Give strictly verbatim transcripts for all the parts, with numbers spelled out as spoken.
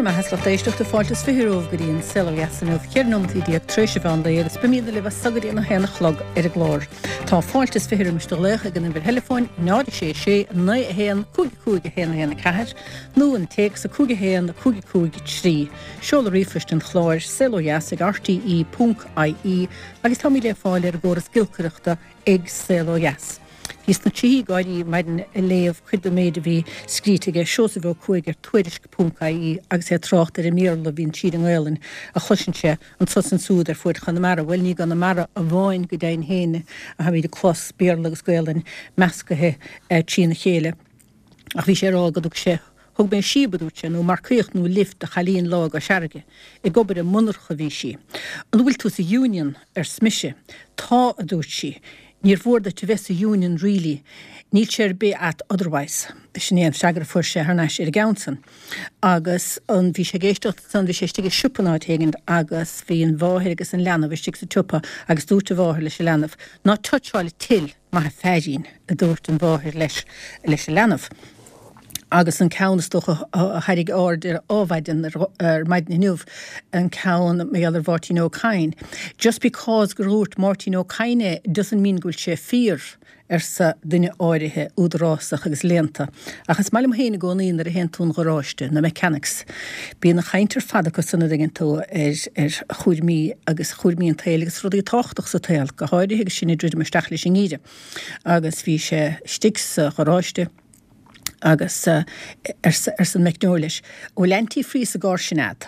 Go raibh maith agat, lucht éisteachta fáilte is fiche romhaibh go dtí an Saol Ó Dheas inniu, ceithre nóimeataí déag tar éis an mheán lae agus beimid libh as so go dtí an a haon a chlog ar an gclár. Tá fáilte is fiche roimis do ghlaoch ag an uimhir theileafóin náid a sé sé naoi a haon cúig cúig a haon a haon a ceathair nó an téacs a cúig a haon cúig cúig trí. Seoladh ríomhphoist an chláir saol ó dheas ag RTE ponc IE agus táimid le fáil ar an gcóras giolcaireachta ag Saol Ó Dheas. Bhíos sna tríthí gáirí maidin ag léamh cuid den méid a bhí scríte aige Seosamh Ó Cuaig ar Tuairisc ponc IE agus é ag trácht ar an mBéarla a bhíonn tríd an nGaelainn a chloiseann sé anso is ansúd ar fuaid Chonamara. Bhuel ní i gConamara amháin go deimhin féin a tháimid ag clos Béarla agus Gaelainn meascaithe trína chéile. Ach bhí sé ag rá go dtug sé Thug mé síob, a dúirt sé, nó marcaíocht nó lift do chailín lá i gCois Fharraige. Ag obair i monarcha a bhí sí. An bhfuil tú sa Union? arsa mise. Tá, a dúirt sí. Níor mhór duit a bheith sa Union really. Níl sé ar bith ait otherwise. Sin é an freagra a fuair sé thar n-ais ar an gceann san. Agus an, bhí sé ag éisteacht ansan, bhí sé istigh i siopa in áit éigint agus bhí an mháthair agus an leanbh istigh sa tsiopa agus dúirt an mháthair leis an leanbh, Ná toucháil an till, maith an feairín, a dúirt an mháthair leis, leis an leanbh. Agus an ceann is dócha a tharraing aird ar ádhmhaidin ar maidin inniu, an ceann mar gheall ar Mháirtín Ó Cadhain. Just because gur dhúirt Máirtín Ó Cadhain é doesn't mean go bhfuil sé fíor, arsa duine áirithe údarásach agus léannta. Ach is maith liom féin i gcónaí nuair a théann tú 'on gharáiste, na mechanics. Bíonn an chaint ar fad acu san a dtuigeann tú ar ar chúraimí agus chúraimí an tsaoil agus rudaí tábhachtacha sa tsaol, go háirithe agus sinn ag druidim isteach leis an ngeimhreadh. Agus bhí sé istigh sa gharáiste. Agus arsa an meicneoir leis, An bhfuil antifreeze sa gcarr sin a'd?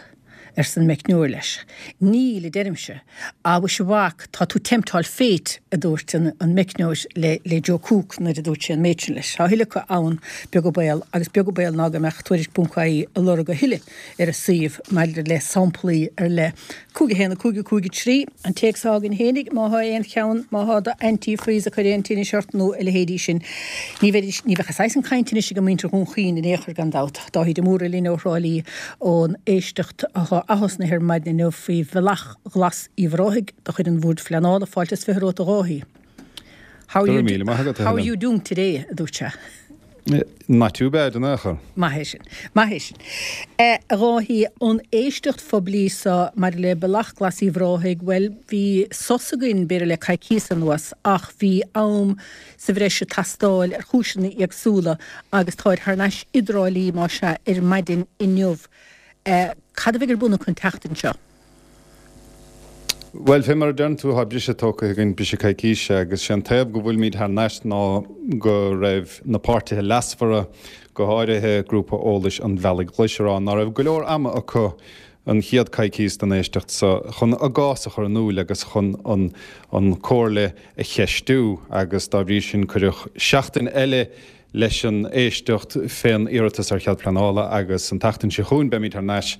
arsa an meicneoir leis. Níl, a deirimse. Ah, mhuise a mhac, tá tú temptáil fate, a dúirt an meicneoir le Joe Cooke nuair a dúirt sé an méid sin leis. Tá a thuilleadh acu ann, beag an baol, agus beag an baol ná go mbeadh Tuairisc ponc IE ag lorg a thuilleadh ar an suíomh maidir le samplaí ar leith. Cúig a haon, a cúig, a cúig, a trí, an téacs atá againn fhéinig, má thá aon cheann, má thá do antifreeze ag cur aon tinnis ort nó a leithéidí sin. Ní bheidís, ní bheadh a saghas san cainte anois ag muintir Dhún Chaoin in aon chor gan dabht. Dáithí de Mórdha linn ó Thrá Lí ón éisteacht atá athosnaithe ar maidin inniu faoi Bhealach Ghlas Uíbh Ráthaigh de chuid an Bhoird Phleanála. Fáilte is fiche romhat a Dháithí. How are you, how are you doing today? a dúirt sé. Not too bad in aon chor. Maith é sin. Maith é sin. A Dháithí, an éisteacht phoiblí seo maidir le Bealach Glas Uíbh Ráthaigh, bhuel, bhí sos againn, b'fhéidir le coicíos anuas, ach bhí am sa bhreis ag teastáil ar chúiseanna éagsúla agus táid thar n-ais i dTrá Lí, más ea, ar maidin inniu. Cad a bheidh ar bun acu an tseachtain seo? Bhuel, fé mar a deireann tú, tá briseadh tógtha againn, briseadh coicíse, agus sé an taobh go bhfuilimid thar n-ais ná go raibh na páirtithe leasmhara, go háirithe Grúpa Eolais an Bhealaigh Ghlais, ag rá ná raibh go leor ama acu an chéad coicíos den éisteacht so chun a gcás a chur in iúil agus chun an an Comhairle a cheistiú agus dá bhrí sin cuireadh seachtain eile leis an éisteacht fén iarratas ar chead pleanála agus an tseachtain seo chugainn beimid thar n-ais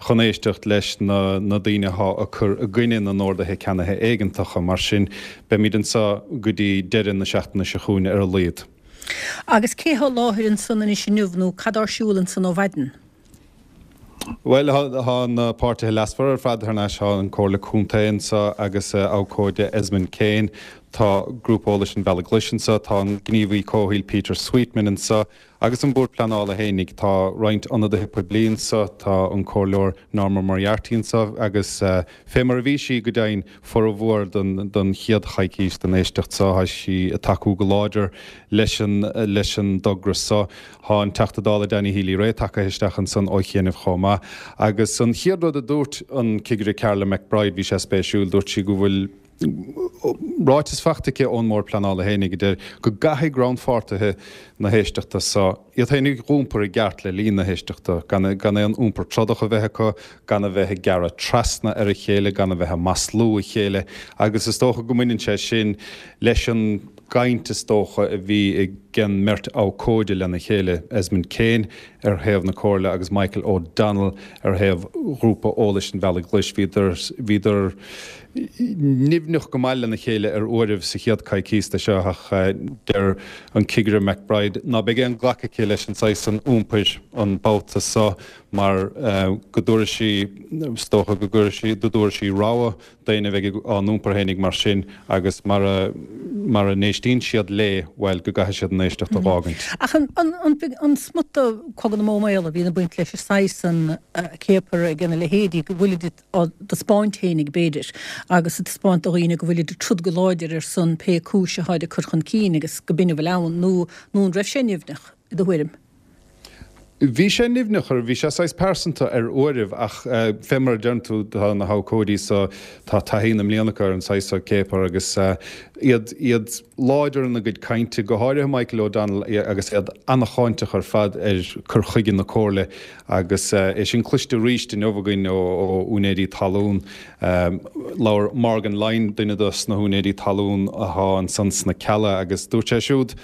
chun éisteacht leis na na daoine athá ag cur i gcoinne na n-orduithe ceannaithe éigeantacha. Mar sin, beimid anseo go dtí deireadh na seachtaine seo chugainn ar a laghad. Agus cé thá i láthair ansan anois inniu nó cad ar siúl ansan ó mhaidin? Bhuel, tá na páirtithe leasmhara ar fad thar n-ais, tá an Comhairle Contae anseo agus a abhcóide Esmond Kane, tá Grúpa Eolais an Bhealaigh Ghlais anseo, tá an gníomhaí comhshaoil Peter Sweetman anseo agus an Bord Pleanála fhéinig. Tá roinnt ionadaithe poiblí anseo, tá an Comhairleoir Norma Moriarty anseo agus fé mar a bhí sí go deimhin formhór den den chéad choicís den éisteacht seo, tá sí ag tacú go láidir leis an leis an dtogra seo. Thá an Teachta Dála Danny Healy-Rae tagtha isteach ansan ó chianaibh chomh maith. Agus an chéad rud a dúirt an Cigire Carla McBride, bhí sé spéisiúil, dúirt sí go bhfuil ráiteas faighte aici ón mBord Pleanála fhéinig a deir go gcaithfidh rannpháirtithe na héisteachta so iad féinig dh'iompar i gceart le linn na héisteachta, gan gan aon iompar trodach a bheith acu, gan a bheith ag gearradh trasna ar a chéile, gan a bheith ag maslú a chéile. Agus is dócha go mbaineann sé sin leis an gcaint is dócha a bhí ag an mbeirt abhcóide lena chéile, Esmond Kane ar thaobh na Comhairle agus Michael O'Donnell ar thaobh Ghrúpa Eolais an Bhealaigh Ghlais. Bhíodar, bhíodar nimhneach go maith lena chéile ar uairibh sa chéad coicíos de seo ach deir an Cigire McBride ná beidh aon ghlacadh aici leis an saghas san iompair an babhta so mar go dtabharfaidh sí, is dócha go gcuirfidh sí, go dtabharfaidh sí rabhadh d'éinne a bheidh á n-iompar fhéinig mar sin agus mar a mara n-éistíonn siad léi, bhuel, go gcaithfidh siad an éisteacht a dh'fhágaint. Ach an smut de Cogadh na mBó Maol a bhíonn ag baint leis an saghas san céapar ag na leithéidí, go bhfuilid á dtaispeáint fhéinig, b'fhéidir, agus ag taispeáint do dhaoine go bhfuilid ag troid go láidir ar son pé cúis atáid ag cur chun cinn agus go b'in a bhfuil ann, nó nó an raibh sé nimhneach, i do thuairim? Bhí sé nimhneach, bhí sé saghas pearsanta ar uairibh, ach fé mar a deireann tú, tá na habhcóidí so, tá taithí na mbliana acu ar an saghas so céapar agus iad iad láidir ina gcuid cainte, go háirithe Michael O'Donnell, agus iad ana-cháinteach ar fad ar cur chuige na Comhairle agus é sin cloiste arís inniu againn ó úinéirí talún. Labhair Morgan Lyne, duine dos na húinéirí talún athá ansan sna Cealla, agus dúirt sé siúd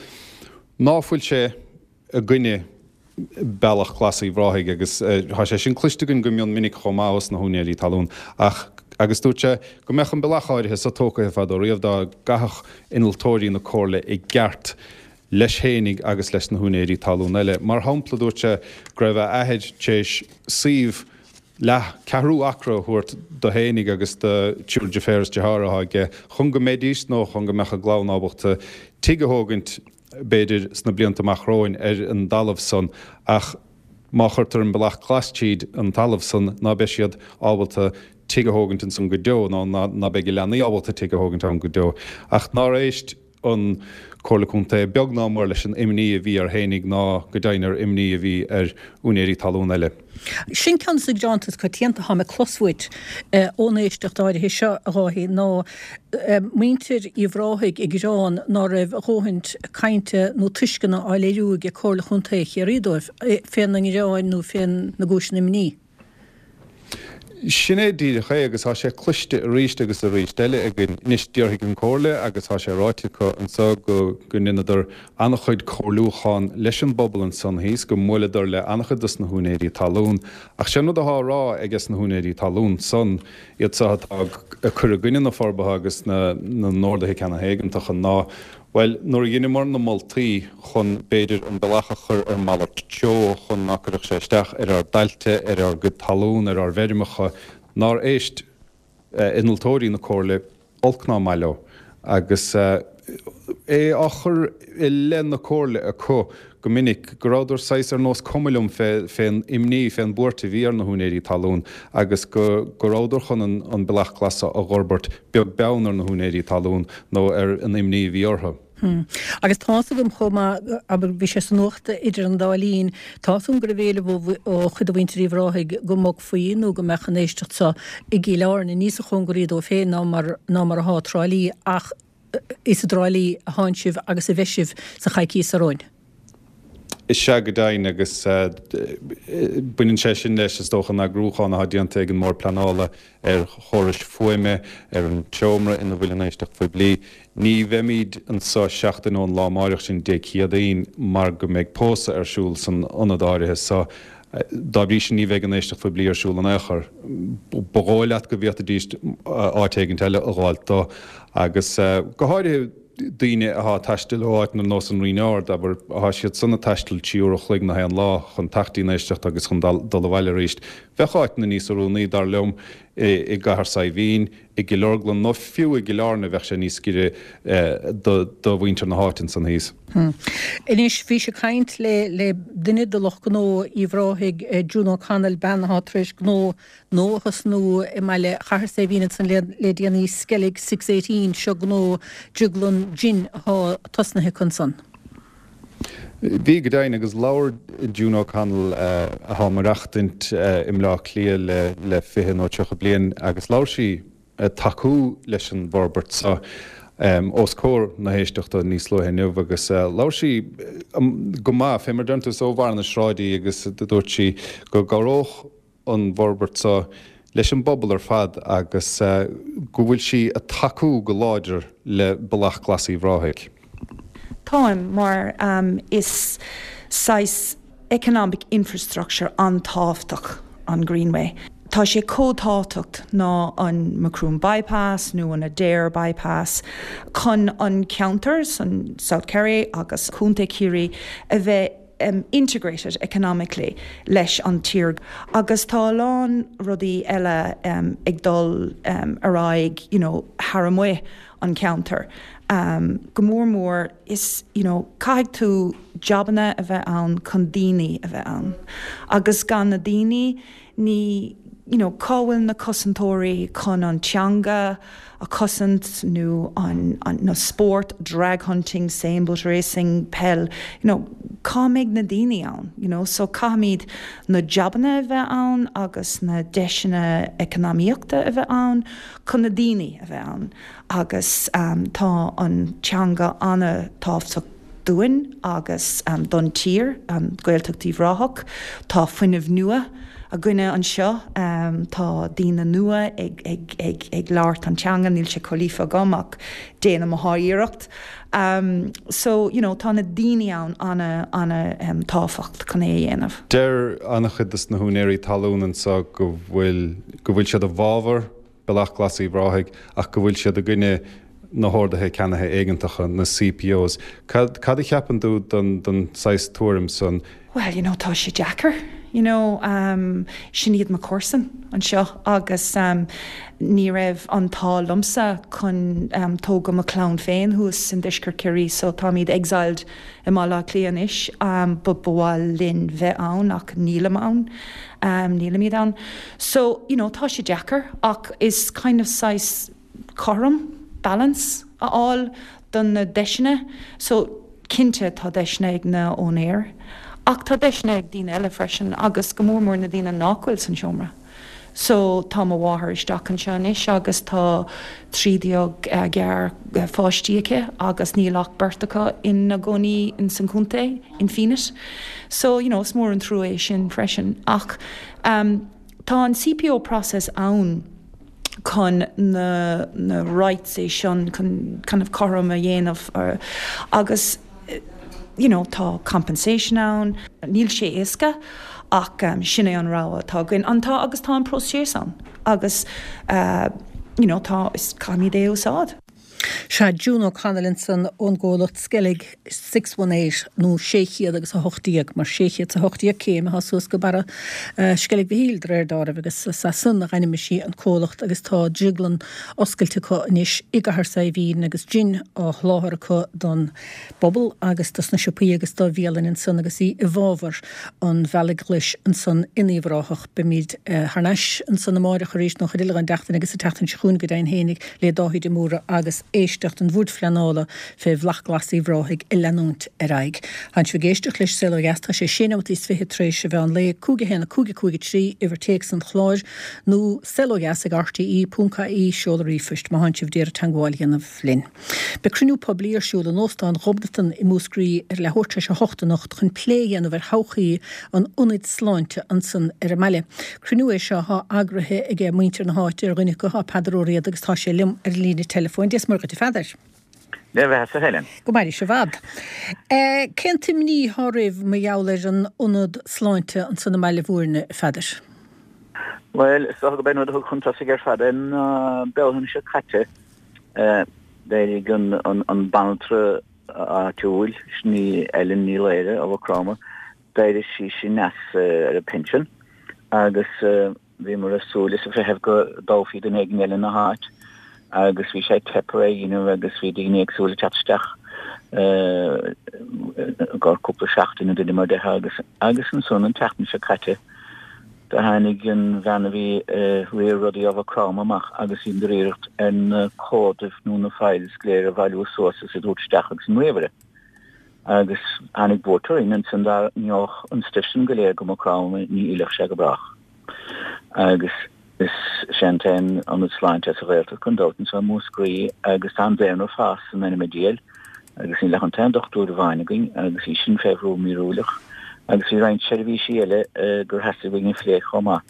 ná fuil sé i gcoinne Bealach Glas Uíbh Ráthaigh agus tá sé sin cloiste againn go mion minic chomh maith ós na húinéirí talún ach agus dúirt sé go mbeadh an bealach áirithe so tógtha fadó riamh dá gcaithfeadh innealtóirí na Comhairle i gceart leis fhéinig agus leis na húinéirí talún eile. Mar shampla, dúirt sé go raibh a athair tar éis suíomh leath ceathrú acra a thabhairt do fhéinig agus do triúr deirféar is deartháir atá aige chun go mbeidís nó chun go mbeadh a gclann ábalta tigh a thógaint b'fhéidir sna blianta amach romhainn ar an dtalamh san ach má chuirtear an bealach glas tríd an talamh san ná beidh siad ábalta tigh a thógaint ansan go deo nó ná beidh a leanaí ábalta tigh a thógaint ann go deo. Ach nár éist an Comhairle Contae beag ná mór leis an imní a bhí air fhéinig ná go deimhin ar imní a bhí ar úinéirí talún eile. Sin ceann de na gearáin is coitianta atá mé ag clos uait ón éisteacht áirithe seo, a Dháithí, ná muintir Uíbh Ráthaigh ag gearán ná raibh a dhóthaint cainte nó tuisceana á léiriú ag Comhairle Chontae Chiarraí dóibh féna ngearáin nó féna gcúiseanna imní. Sin é díreach é agus tá sé cloiste arís agus arís eile againn. Anois déarfaidh an Comhairle agus tá sé ráite acu anso go go ndeineadar an-chuid comhairliúchán leis an bpobal ansan thíos, go mbuaileadar le an-chuid dos na húinéirí talún. Ach sin rud atá á rá aige sna húinéirí talún san, iad so atá ag cur i gcoinne na forbartha agus na na n-orduithe ceannaithe éigeantacha ná, Bhuel, nuair a dheineamar na moltaí chun, b'fhéidir, an bealach a chur ar malairt treo chun ná cuirfeadh sé isteach ar ár dtailte, ar ár gcuid talún, ar ár bhfeirmeacha, nár éist innealtóirí na Comhairle olc ná maith leo agus é á chur i leith na Comhairle acu go minic go rabhadar saghas ar nós cuma liom fén imní, fén bhuairt a bhí ar na húinéirí talún agus go go rabhadar chun an Bealach Glas a dh'fhorbairt beag beann ar na húinéirí talún nó ar an imní a bhí orthu. Agus tá's agam chomh maith, abair, bhí sé sa nuacht idir an dá linn, tá's agam go raibh éileamh ó chuid de mhuintir Uíbh Ráthaigh go mbogfaí nó go mbeadh an éisteacht seo i gCill Airne níosa chóngaraí dóibh féin ná mar ná mar athá Trá Lí ach is i dTrá Lí athánn sibh agus a bheidh sibh sa choicíos seo romhainn. Is ea go deimhin, agus baineann sé sin leis, is dócha, an eagrúchán atá déanta ag an mBord Pleanála ar chórais fuaime, ar an tseomra ina bhfuil an éisteacht phoiblí. Ní bheimid anseo seachtain ón lá amáireach, sin Dé Céadaoin, mar go mbeidh pósadh ar siúl san ionad áirithe so. Dá bhrí sin ní bheidh an éisteacht phoiblí ar siúl in aon chor. Ba dhóigh leat go bhféadfaidís áit éigint eile a dh'fháilt dó agus go háirithe daoine athá ag taisteal ó áiteanna ar nós an Rinn Ard, abair, athá siad san ag taisteal trí uair a chloig na haon lá chun teacht dtí'n éisteacht agus chun dul abhaile arís. Bheadh áiteanna níos oiriúnaí, dar liom, i gCathair Saidhbhín, i gCill Orglan nó fiú i gCill Airne, bheadh sé níos giorra do mhuintir na háite ansan thíos. Anois, bhís ag caint le le duine de lucht gnó Uíbh Ráthaigh, June O'Connell, bean athá tar éis gnó nua a thosnú i mbaile Chathair Saidhbhín ansan le le déanaí, Skellig Six Eighteen, seo gnó drioglann jin athá tosnaithe acu ansan. Bhí, go deimhin, agus labhair June O'Connell, athá ag maireachtaint i mBleá Cliath le le fiche nó tríocha bliain, agus labhair sí ag tacú leis an bhforbairt seo os comhair na héisteachta níos luaithe inniu agus labhair sí go maith, fé mar a deireann tú, is ó bharr na sráide í agus dúirt sí go gcabhródh an bhforbairt seo leis an bpobal ar fad agus go bhfuil sí ag tacú go láidir le Bealach Glas Uíbh Ráthaigh. Táim, mar is saghas economic infrastructure an-tábhachtach an Greenway. Tá sé chomh tábhachtach ná an Macroom Bypass nó an Adare Bypass chun an ceantar san South Kerry agus Contae Chiarraí a bheith integrated economically leis an tír agus tá a lán rudaí eile ag dul ar aghaidh you know thar amuigh an ceantar. Um, go mór mór is you know, caithfidh tú jobanna a bheith ann chun daoine a bheith ann. Agus gan na daoine ní you know, cá bhfuil na cosantóirí chun an teanga a chosaint nó an, an na sport, drag hunting, sailboat racing, peil, you know, cá mbeidh na daoine ann, you know, so caithfimid na jobanna a bheith ann agus na deiseanna eacnamaíochta a bheith ann chun na daoine a bheith ann. Agus um, tá an teanga an-tábhachtach dúinn agus um, don tír an Gaeltacht Uíbh Ráthach, tá fuinneamh nua againne anseo um, tá daoine nua ag, ag, ag, ag labhairt an teanga níl sé chomh líofa agam ach déanaim mo iarracht. Um, so you know, tá na daoine ann an- an- um, tábhachtach chun é a dhéanamh. Deir an-chuid des na húinéirí talún anseo go bhfuil go bhfuil siad i bhfabhar Bealach Glas Uíbh Ráthaigh ach go bhfuil siad i gcoinne na horduithe ceannaithe éigeantacha na CPOs. Cad, cad a cheapann tú don, don saghas tuairim san? Well, you know, tá sé deacair. You know, um, sin iad mo chomharsain anseo agus um, ní raibh an t-ádh liomsa chun um, tógadh mo chlann féin thuas in deisceart Chiarraí, so táimid exiled i mBaile Átha Cliath anois um, ba mhaith linn bheith ann ach nílim ann um, nílimid ann. So you know, tá sé deacair ach is kind of saghas cothrom balance a fháil don na deiseanna, so cinnte tá deiseanna ag na úinéirí. Ach tá deiseanna ag daoine eile freisin agus go mór mór na daoine nach bhfuil san seomra. So tá mo mháthair isteach anseo anois agus tá trí déag uh, gear uh, pháistí aici agus níl ach beirt acu ina gcónaí in san chontae in Fenit. So you know, is mór an trua é sin freisin ach um, tá an CPO process ann chun na, na rights é sin chun kind of cothrom a dhéanamh uh, agus you know, tá compensation ann, níl sé éasca ach um, sin é an rogha atá againn an tá agus tá an próiseas ann agus uh, you know, tá is caithfimid é úsáid. Sé June O'Connell ansan ón gcomhlacht Skellig six one eight nó sé chéad agus a hocht déag mar sé chéad a hocht déag céim atá suas go barra uh, Skellig Mhichíl de réir dealraimh agus sa san a ainmnigh sí an comhlacht agus tá drioglann oscailte acu anois i gCathair Saidhbhín agus jin á sholáthar acu don bpobal agus dos na siopaí agus do bhialanna ansan agus í i bhfabhar an Bhealaigh Ghlais ansan in Uíbh Ráthach beimid uh, thar n-ais ansan amárach arís nó chuid eile den tseachtain agus sa tseachtain seo chugainn go deimhin fhéinig le Dáithí de Mórdha agus éisteacht an Bhoird Phleanála fé Bhealach Glas Uíbh Ráthaigh ag leanúint ar aghaidh. Tá sibh ag éisteacht leis Saol Ó Dheas tá sé sé nóiméad is fiche tar éis a mheán lae cúig a haon a cúig a cúig a trí uimhir téacs an chláir nó saol ó dheas ag RTE ponc ie seoladh ríomhphoist má tá sibh d'iarraidh teagmháil a dhéanamh linn. Beidh cruinniú poiblí ar siúl in Óstán Ghobnatan i Múscraí ar leathuair tar éis a hocht anocht chun plé a dhéanamh ar thodhchaí an ionaid sláinte ansan ar an mbaile. Cruinniú é seo atá eagraithe ag muintir na háite ar dhuine acu tá Peadar Ó Riada agus tá sé liom ar líne telefóin. Dia is Muire dhuit a Pheadair. Le bheith sa Helen. Go mairí sibh i bhfad. Cén t-imní atá oraibh mar gheall ar an ionad sláinte ansan i mBaile Bhúirne Pheadair? Well, is dócha gurb é an rud a thug chun tosaigh ar fad an Bealtaine seo caite d'éirigh an an an banaltra áitiúil sin í Ellen Ní Laoire ó Mhaigh Chromtha, d'éirigh sí sin as ar a pension agus bhíomar ag súil is ag feitheamh go dtoghfaí duine éigin eile ina háit agus bhí sé ag teip ar é a dhéanamh agus bhí daoine éagsúla ag teacht isteach i gcomhair cúpla seachtain nó duine mar de agus agus ansan an tseachtain seo caite do tháinig an bhean a bhí ag riar rudaí ó Mhaigh Chromtha amach agus í ag iarraidh ar na comhaid nó na files go léir a bhailiú suas is a thabhairt isteach agus an ríomhaire. Agus tháinig buairt orainn ansan dá mbeadh an stuif sin go léir go Maigh Chromtha ní fhillfeadh sé go brách. Agus is sé an t-aon ionad sláinte sa Ghaeltacht gan dabht anseo i Múscraí agus tá an daonra ag fás in ainm an diabhail agus níl ach an t-aon dochtúir amháin againn agus í sin fé bhrú míorúileach agus bhí roinnt seirbhísí eile gur theastaigh uainn a phlé chomh maith.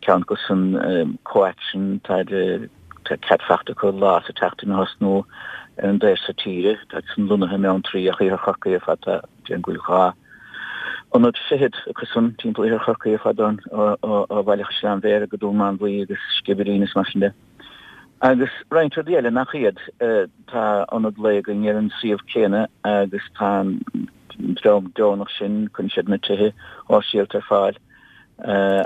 Ceann acu san CoAction tá cead faighte acu lá sa tseachtain a thosnú ar an dtaobh seo tíre, tá san lonnaithe i mBeanntraí ach Iarthar Chorcaí ar fad tá déarfainn go bhfuil dhá ionad fichead acu san timpeall Iarthar Chorcaí ar fad ó Bhaile Chaisleáin Bhéarra go Dún Mánmhaí agus Sciobairín is mar sin de. Agus roinnt rudaí eile nach iad, tá ionad lae againn ar an suíomh céanna agus tá an dream deonach sin, cuireann siad na tithe shóisialta ar fáil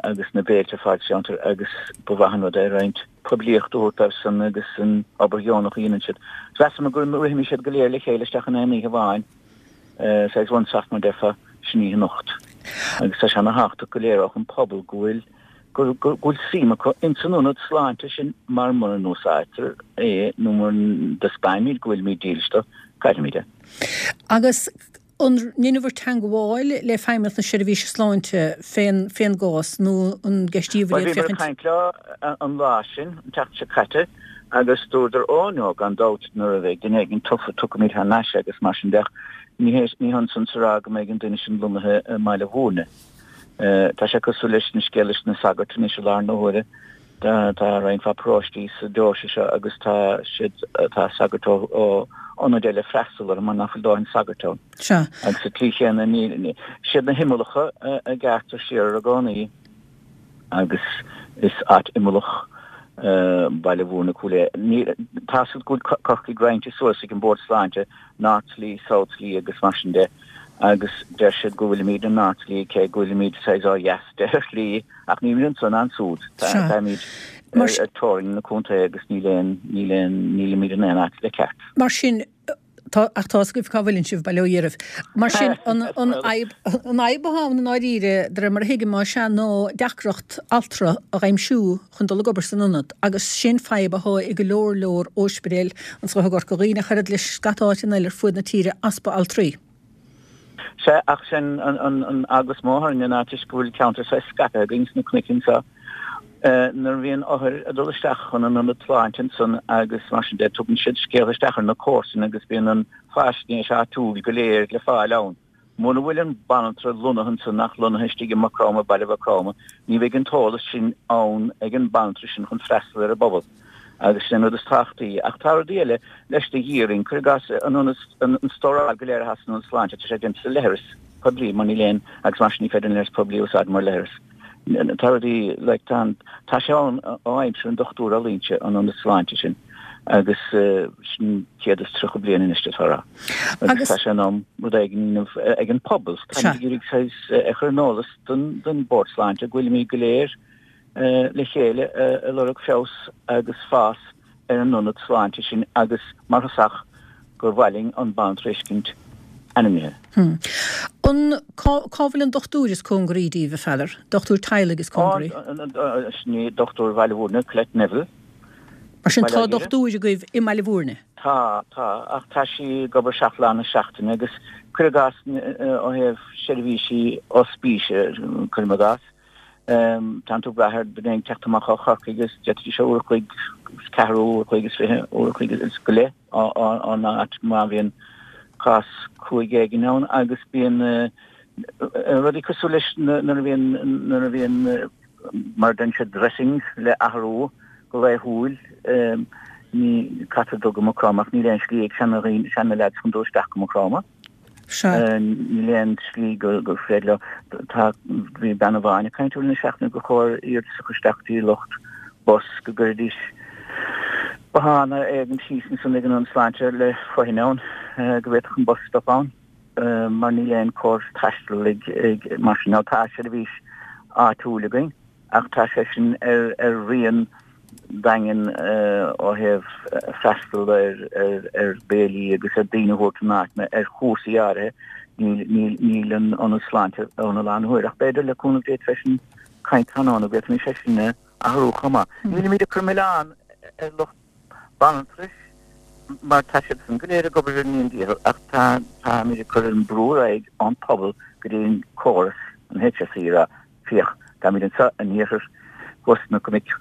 agus na béilte ar fáil sa cheantar agus ba mhaith an rud é roinnt poiblíocht a thabhairt dóibhsan agus an obair dheonach a dhéanann siad. Mheasamar go rithfimís siad go léir le chéile isteach in aon oíche amháin, saghas one stop mar déarfá, sin oíche anocht. Agus tá sé ana-thábhachtach go léireodh an pobal go bhfuil go bhfuil suim acu ins an ionad sláinte sin mar mura n-úsáidtear é nó mura dtaispeáinimid go bhfuilimid dílis dó, caillfimid é. Agus an ndeineabhair teangmháil le Feidhmeannacht na Seirbhíse Sláinte fén fén gcás nó an gceistíobhair iad féachaint? Bhuel, bhíomar ag caint leo an lá sin, an tseachtain seo caite, agus dúradar, Ó no, gan dabht, nuair a bheidh duine éigin tofa, tiocfaimid thar n-ais agus mar sin de ach ní hé, ní hionann san is a rá go mbeidh an duine sin lonnaithe i mBaile Bhúirne. Tá sé cosúil leis an scéal leis na sagairt anois i láthair na huaire. Tá roinnt mhaith paróistí sa deoise seo agus tá siad, tá sagairt ó ionaid eile ag freastal orthu mar nach bhfuil dóthain sagairt ann. Sea. Agus sa tslí chéanna ní, siad na himeallacha a gearrtar siar i gcónaí agus is áit imeallach Baile Bhúirne Cúil Aodha. Ní, tá 's agat go bhfuil Corcaigh roinnte suas ag an Bord Sláinte, North Tralee, South Tralee agus mar sin de agus deir siad go bhfuilimid in North Tralee cé go bhfuilimid saghas ó dheas de ar shlí ach nílimid anso ná ansúd. Táimid ar teorainn na contae agus níl aon, níl aon, nílimid in aon áit le ceart. Mar sin, tá, ach tá 's agaibh cá bhfuileann sibh, bail ó Dhia oraibh. Mar sin, an, an fhadhb, an fhadhb atá ann i ndáiríre, de réir mar a thuigim, más ea, ná deacracht altra a dh'aimsiú chun dul ag obair san ionad agus sin fadhb athá i go leor leor óispidéil anso i gCorca Dhuibhne ach oiread le scata áiteanna eile ar fuaid na tíre, easpa altraí. Sea, ach sin an eagla is mó orainne ná toisc go bhfuil ceantar saghas scaipthe againn sna cnoic anseo. Nuair a bhíonn othair ag dul isteach chun an ionad sláinte ansan agus mar sin de, tugann siad scéalta isteach ar na comharsana agus bíonn an faisnéis áitiúil go léir le fáil ann. Mura bhfuil an banaltra lonnaithe ansan ach lonnaithe istigh i Maigh Chromtha, Baile Mhaigh Chromtha, ní bheidh an t-eolas sin ann ag an banaltra sin chun freastal ar an bpobal. Agus sin an rud is tábhachtaí. Ach tá rudaí eile leis de dhíth orainn. Cuir i gcás, an ionad, an stóráil go léir atá san ionad sláinte, tá sé déanta sa leithreas poiblí mar níl aon, agus mar sin ní féidir an leithreas poiblí a úsáid mar leithreas. Tá rudaí, like, tá an, tá sé ann ó aimsir an Dochtúra Ó Loingsigh, an ionad sláinte sin, agus sin céad is tríocha bliain anois d'fhéadfá a rá. Agus tá sé in am rud éigin a dhéanamh ag an pobal. Táimid ag iarraidh saghas a chur in eolas don, don Bhord Sláinte go bhfuilimid go léir, le chéile ag lorg feabhas agus fás ar an ionad sláinte sin agus mar thosach gur mhaith linn an banaltra a fheiscint ainmnithe. An, cá, cá bhfuil an dochtúir is cóngaraí díbh, a Pheadair? Dochtúir teaghlaigh is cóngaraí? Sin í dochtúir Bhaile Bhúirne, Colette Neville. Mar sin tá dochtúir agaibh i mBaile Bhúirne? Tá, tá, ach tá sí ag obair seacht lá na seachtaine agus cuir i gcás ó thaobh seirbhísí ospíse, cuirim i gcás, Tánn tú ag brath ar duine ag teacht amach ó Chorcaigh agus d'fhéadfaidís uair a chloig is ceathrú, uair a chloig is fiche, uair a chloig is go leith ón áit má bhíonn cás cruaidh éigin ann agus bíonn rudaí cosúil leis nuair a bhíonn nuair a bhíonn mar a deireann siad dressings le athrú go laethúil ní caithfear dul go Maigh Chromtha ach níl aon slí ag seana dhaoine seana leaids chun dul isteach go Maigh Chromtha. Sea. Níl aon slí gur féidir leo. Tá, bhí bean amháin ag caint i rith na seachtaine gur chóir iarratas a chur isteach go dtí lucht bus go gcuirfidís bothán éigin síos ansan ag an Ionad Sláinte le fothain ann go bhféadfadh an bus stop ann mar níl aon córas taistil ag, ag, mar sin. Now tá seirbhís áitiúil againn. Ach tá sé sin ar rian daingean ó thaobh freastal ar bhéilí agus ar daoine a thabhairt chun áiteanna ar chúrsaí áirithe. Níl an ionad sláinte ann i láthair na huaire ach b'fhéidir le cúnamh Dé freisin caint tráthnóna go bhféadfaimis é sin a athrú chomh maith. Nílimid ag cur milleán ar lucht banaltrais mar tá siadsan go léir ag obair ar a ndian-dícheall ach tá táimid ag cur an brú ar aghaidh ón pobal go dtí an córas, an HSE a rá Féach, táimid anseo in iarthar thuas sna cnoic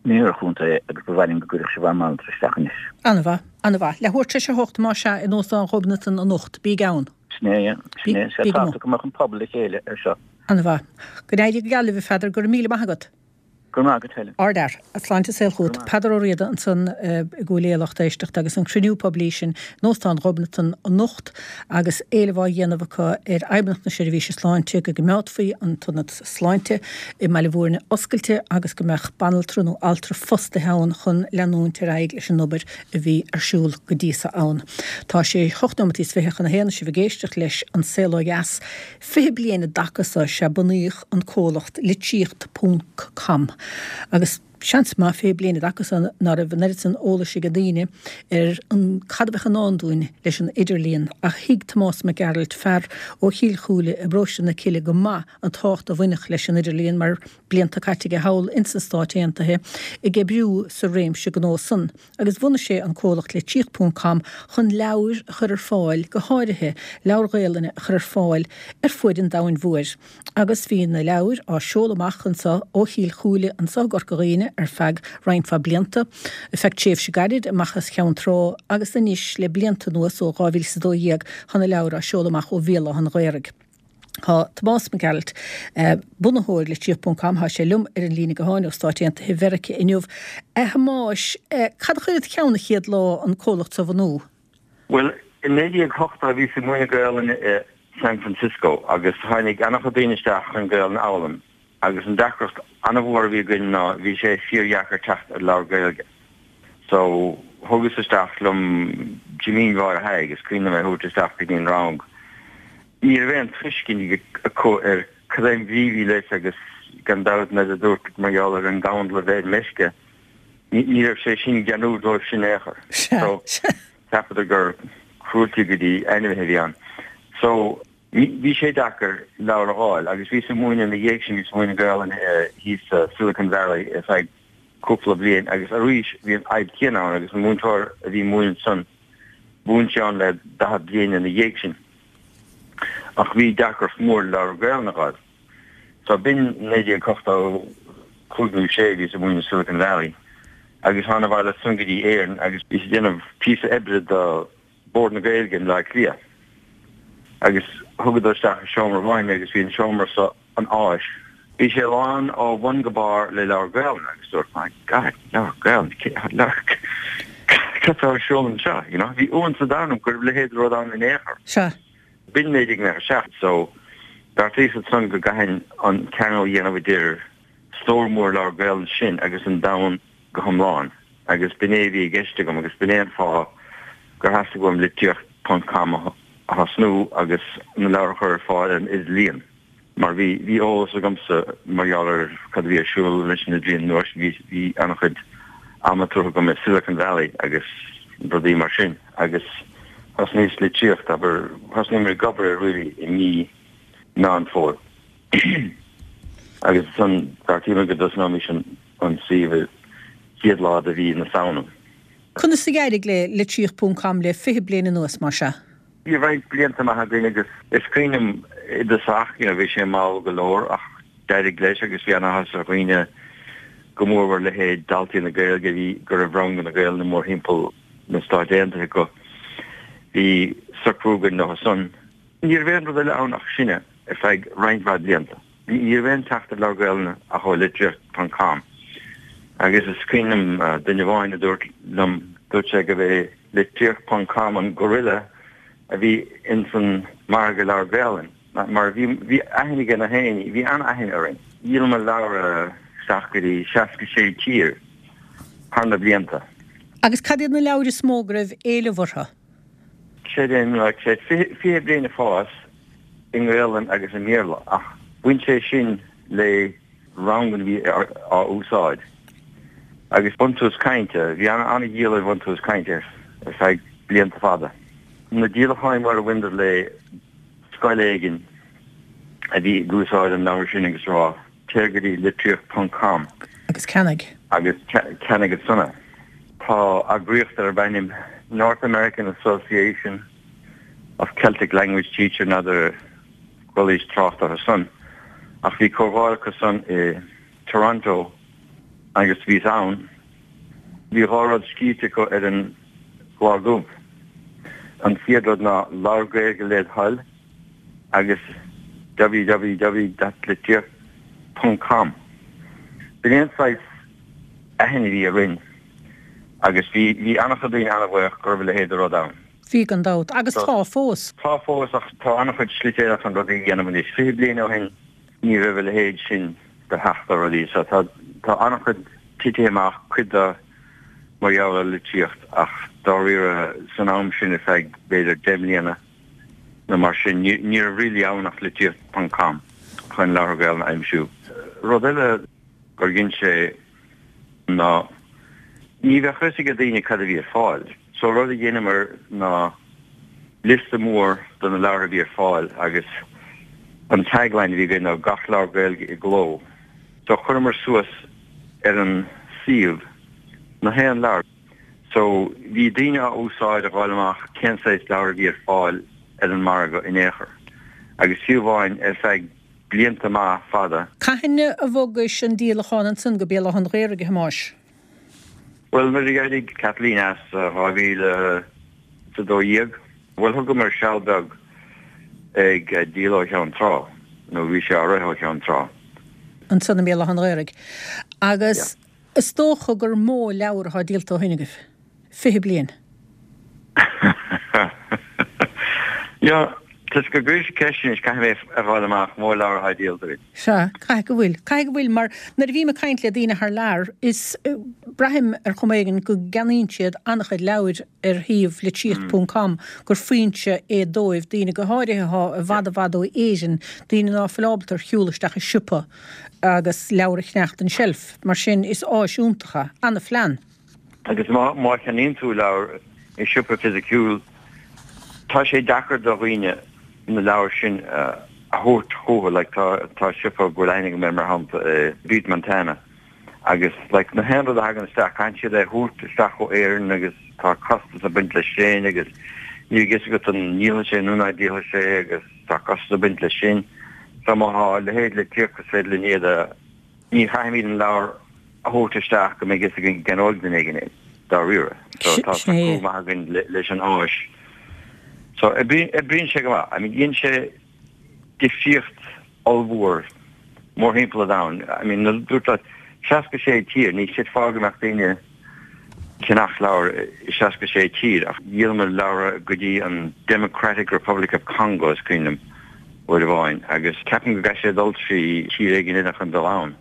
in iarthar an chontae agus ba mhaith linn go gcuirfeadh sibh ár mbanaltra isteach anois. An-mhaith, an-mhaith. Leathuair tar éis a hocht, más ea, in Óstán Ghobnatan anocht. Bíg ann. Sin é, sin é. Sé tábhachtach go mbeadh an pobal le chéile ar seo. An-mhaith. Go n-éirí go geal libh, a Pheadair. Go raibh míle maith agat. Go raibh maith agat, Helen. Ardfhear. Sláinte is saol chugat. Peadar Ó Riada ansan i gCúil Aodha, lucht éisteachta, agus an cruinniú poiblí sin in Óstán Ghobnatan anocht agus éileamh á dhéanamh acu ar Fheidhmeannacht na Seirbhíse Sláinte go gcoimeádfaí an t-ionad sláinte i mBaile Bhúirne oscailte agus go mbeadh banaltra nó altra fostaithe ann chun leanúint ar aghaidh leis an obair a bhí ar siúl go dtí so ann. Tá sé hocht nóimeataí is fiche chun a haon is sibh ag éisteacht leis An Saol Ó Dheas. Fiche bliain i dtaca so sea bunaíodh an comhlacht Litríocht Ponc Com agus Seans maith fiche bliain i dtaca san ná raibh an oiread san eolais ag daoine ar an cad a bheadh i ndán dúinn leis an idirlíon ach thuig Tomás Mac Gearailt, fear ó Chill Chúile i bparóiste na Cille go maith an tábhacht a bhainfeadh leis an idirlíon mar blianta caite aige thall ins na Stáit Aontaithe ag oibriú sa réimse gnó san agus bhunaigh sé an comhlacht Litríocht ponc com chun leabhair a chur ar fáil, go háirithe leabhair Ghaelainne a chur ar fáil ar fuaid an domhain mhóir. Agus bhí na leabhair á seoladh amach anseo ó Chill Chúile anseo i gCorca Dhuibhne ar feadh roinnt mhaith blianta, ar feadh tréimhse gairid amach as Ceann Trá agus anois le blianta anuas ó dhá mhíle is a dó dhéag tá na leabhair á seoladh amach ó Bhéal Átha an Ghaorthaidh. Tá Tomás Mac Gearailt, bunaitheoir Litríocht ponc com, tá sé liom ar an líne gutháin ó Stáit Aontaithe Mheiriceá inniu. A Thomáis, cad a chuir id cheann an chéad lá an comhlacht seo a bhunú? Bhuel, i naoi déag ochtó bhíos ag múineadh Gaelainne i San Francisco agus tháinig an-chuid daoine isteach chun Gaelainn a fhoghlaim agus an deacracht an-mhór a bhí againn ná bhí sé fíordheacair teacht ar leabhar Gaeilge. So thugas isteach liom Jimín Mháire Thaidhg, is cuimhin liom é a thabhairt isteach go dtí an rang. Ní raibh aon tuiscint acu ar cad é an bhrí a bhí leis agus gan dabht nuair a dúirt mar gheall ar an gcandal a bheith ar meisce, ní raibh sé sin geanúil dóibh sin in aon chor. So cheapadar gur cruelty go dtí ainmhithe a bhí ann. So bhí sé deacair leabhar a fháil agus bhíos ag múineadh ina dhiaidh sin, bhíos ag múineadh Gaelainne thíos sa Silicon Valley ar feadh cúpla bliain agus arís bhí an fhadhb chéanna ann agus an múinteoir a bhí ag múineadh ansan, mhúin sé ann le daichead bliain ina dhiaidh sin. Ach bhí deacracht mhór leabhar Gaelainne a fháil. So b'in naoi déag ochtó cúig nó sé bhíos ag múineadh Silicon Valley agus thána abhaile ansan go dtí Éirinn agus bhíos ag déanamh píosa oibre do Bord na Gaeilge i mBleá Cliath agus thugadar isteach i seomra amháin mé agus bhí an seomra so an áis. Bhí sé lán ó bhun go barr le leabhar Gaelainne agus dúirt my God, leabhar Gaelainne, leabhar cad tá ar siúl anseo, you know? Bhí iontas an domhain orm go raibh a leithéid de rud ann in aon chor. Sea. B'in naoi déag nócha seacht so bheartaíos ansan go gcaithfinn an ceangal a dhéanamh idir stór mór leabhar Gaelainne sin agus an domhan go hiomlán agus b'in é a bhí i gceist agam agus b'in é an fáth gur theastaigh uaim litríocht ponc com a thosnú agus na leabhair a chur ar fáil ar an idirlíon mar bhí bhí eolas agamsa mar gheall ar cad a bhí ar siúl leis an idirlíon an uair sin bhí bhí an-chuid ama tugtha agam i Silicon Valley agus rudaí mar sin agus thosnaíos litríocht abair thosnaíomar ag obair air really i mí Meán Fómhair agus ansan bheartaíomar go dtosnóimis an an suíomh an chéad lá de mhí na Samhna. Conas a d'éirigh le Litríocht ponc com le fiche bliain anuas, mar sea? Bhí roinnt blianta maithe againn agus is cuimhin liom i dtosach, you know, bhí sé mall go leor ach d'éirigh leis agus bhí an-áthas ar dhaoine, go mórmhór leithéid daltaí na Gaeilge a bhí, go raibh ranganna Gaelainne mórthimpeall na Stáit Aontaithe acu. Bhí socrú againn leo san. Ní raibh aon rud eile ann ach sinne ar feadh roinnt mhaith blianta. Ní raibh aon teacht ar leabhar Gaelainne ach ó litríocht ponc com agus is cuimhin liom duine amháin a dúirt liom, dúirt sé gurb é litríocht ponc com an gorilla a bhí ins an margadh leabhar Gaelainne mar bhí bhí aithne ag na héinne, bhí an-aithne orainn. Dhíolamar leabhra isteach go dtí seasca sé tír thar na blianta. Agus cad iad na leabhair is mó go raibh éileamh orthu? Creidim, like, sé fiche bliain ag fás i nGaelainn agus i mBéarla ach bhain sé sin le ranganna a bhí á úsáid agus Buntús Cainte, bhí an-dhíol ar Bhuntús Cainte ar feadh blianta fada. Na díolacháin móra a bhaineadar le scoil éigin a bhí ag úsáid an leabhair sin agus rá téir go dtí litríocht ponc com agus ceannaigh. agus ceannaigh ansan é. Tá eagraíocht darb ainm North American Association of Celtic Language Teacher, n'fheadar chualaís trácht orthu san, ach bhí comhdháil acu san i Toronto agus bhíos ann. Bhí dhá rud scríte acu ar an gclár dubh. An chéad rud ná Labhair Gaeilge led thoil agus www dot litríocht ponc com. B'in é an saghas aithne a bhí orainn agus bhí bhí an-chuid daoine an-bhuíoch go raibh a leithéid de rud ann. Bhí gan dabht. Agus tá fós. Tá fós ach tá an-chuid slite eile chun rudaí a dhéanamh anois. Fiche bliain ó shin ní raibh a leithéid sin de theacht ar rudaí so tá tá an-chuid titithe amach, cuid de mar gheall ar litríocht ach dáiríre san am sin ar feadh b'fhéidir deich mbliana nó mar sin ní ní raibh really ann ach litríocht ponc com chun leabhartha Gaelainne a aimsiú. Rud eile gur dhein sé ná ní bheadh fhios ag daoine cad a bhí ar fáil. So rud a dheineamar ná liosta mór de na leabhair a bhí ar fáil agus an tagline a bhí againn ná gach leabhar Gaeilge i gcló. So chuireamar suas ar an suíomh na haon leabhar. So bhí daoine á úsáid a fháil amach cén saghas leabhar a bhí ar fáil ar an margadh in aon chor. Agus fiú amháin ar feadh blianta maith fada. Cathain a bhogais an díolachán ansan go Béal Átha an Ghaorthaidh, a Thomáis? Bhuel, nuair a d'éirigh Kathleen as dhá mhíle is a dó dhéag, bhuel, thugamar seal beag ag díol ó Cheann Trá, nó bhí sé á rith ó Cheann Trá. Ansan i mBéal Átha an Ghaorthaidh. Agus is dócha gur mó leabhar atá díolta ó shin agaibh. Fiche bliain. Yeah, toisc go gcuiris ceist anois, caithfidh mé a fháil amach mó leabhar atá díolta againn. Sea, caithfidh go bhfuil. Caithfidh go bhfuil, mar nuair a bhím ag caint le daoine thar lear, is braithim ar chuma éigin go gceannaíonn siad an-chuid leabhair ar shuíomh litríocht ponc com, gur foinse é dóibh, daoine go háirithe atá i bhfad i bhfad ó Éirinn, daoine ná fuil ábalta ar shiúl isteach i siopa agus leabhar a cheannacht den tseilf. Mar sin, is áis iontach é. Ana-phlean. Agus má má cheannaíonn tú leabhar i siopa fisiciúil, tá sé deacair do dhaoine na leabhair sin a thabhairt chucu. Like tá tá siopa go bhfuil aithne agam air mar shampla i Butte Montana agus like na haon rud a thagann isteach caithfidh siad é a thabhairt isteach ó Éirinn agus tá costas ag baint leis sin agus níl a fhios agat an ndíolfaidh sé nó ná díolfaidh sé agus tá costas ag baint leis sin. So má tá a leithéid litríocht is féidir linn iad a Ní chaithfimid an leabhar a thabhairt isteach go mbeidh fhios againn go gceannóidh duine éigin é, dáiríre. So tá tacú maith againn leis an áis. So oibríonn sé go maith. I mean dhein sé difríocht ollmhór mórthimpeall an domhain. I mean nuair a dúirt leat seasca sé tír, ní chreidfeá go mbeadh daoine ag ceannach leabhar i seasca sé tír ach dhíolamar leabhra go dtí an Democratic Republic of Congo is cuimhin liom uair amháin agus ceapaim go gcaithfidh sé dul trí thír éigin eile chun dul ann.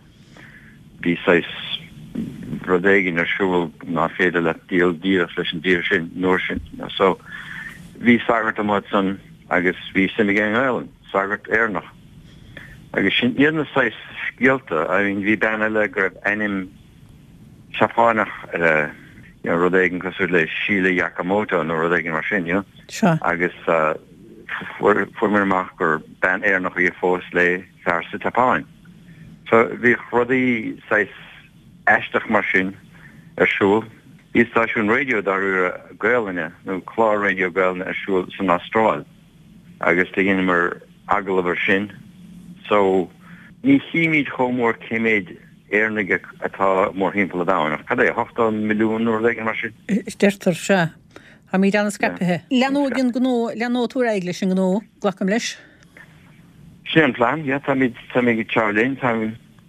Bhí saghas rud éigin ar siúl ná féidir leat díol díreach leis an dtír sin an uair sin. So bhí sagart amuigh ansan agus bhí suim aige i nGaelainn, sagart Éireannach. Agus sin iad na saghas scéalta, I mean bhí bean eile go raibh ainm Seapáineach uirthi, you know, rud éigin cosúil le Sheila Yakamoto nó rud éigin mar sin, you know. Sea. Agus fuair muid amach gur bean Éireannach í a phós le fear sa tSeapáin. So bhíodh rudaí saghas aisteach mar sin ar siúl. Bhí stáisiún raidió dáiríre Gaelainne nó clár raidió Gaelainne ar siúl san Astráil agus do dheineamar agallamh ar sin. So ní chímid chomh mór cé méid Éireannaigh atá mórthimpeall an domhain, ach cad é, ochtó milliún nó rud éigin mar sin? Deirtear, sea. Táimid an-scaipthe. Leanóidh an gnó, leanóidh tú ar aghaidh leis an ngnó, glacaim leis? Sin é an plean, yeah. Táimid, táimid ag treabhadh linn. Tá,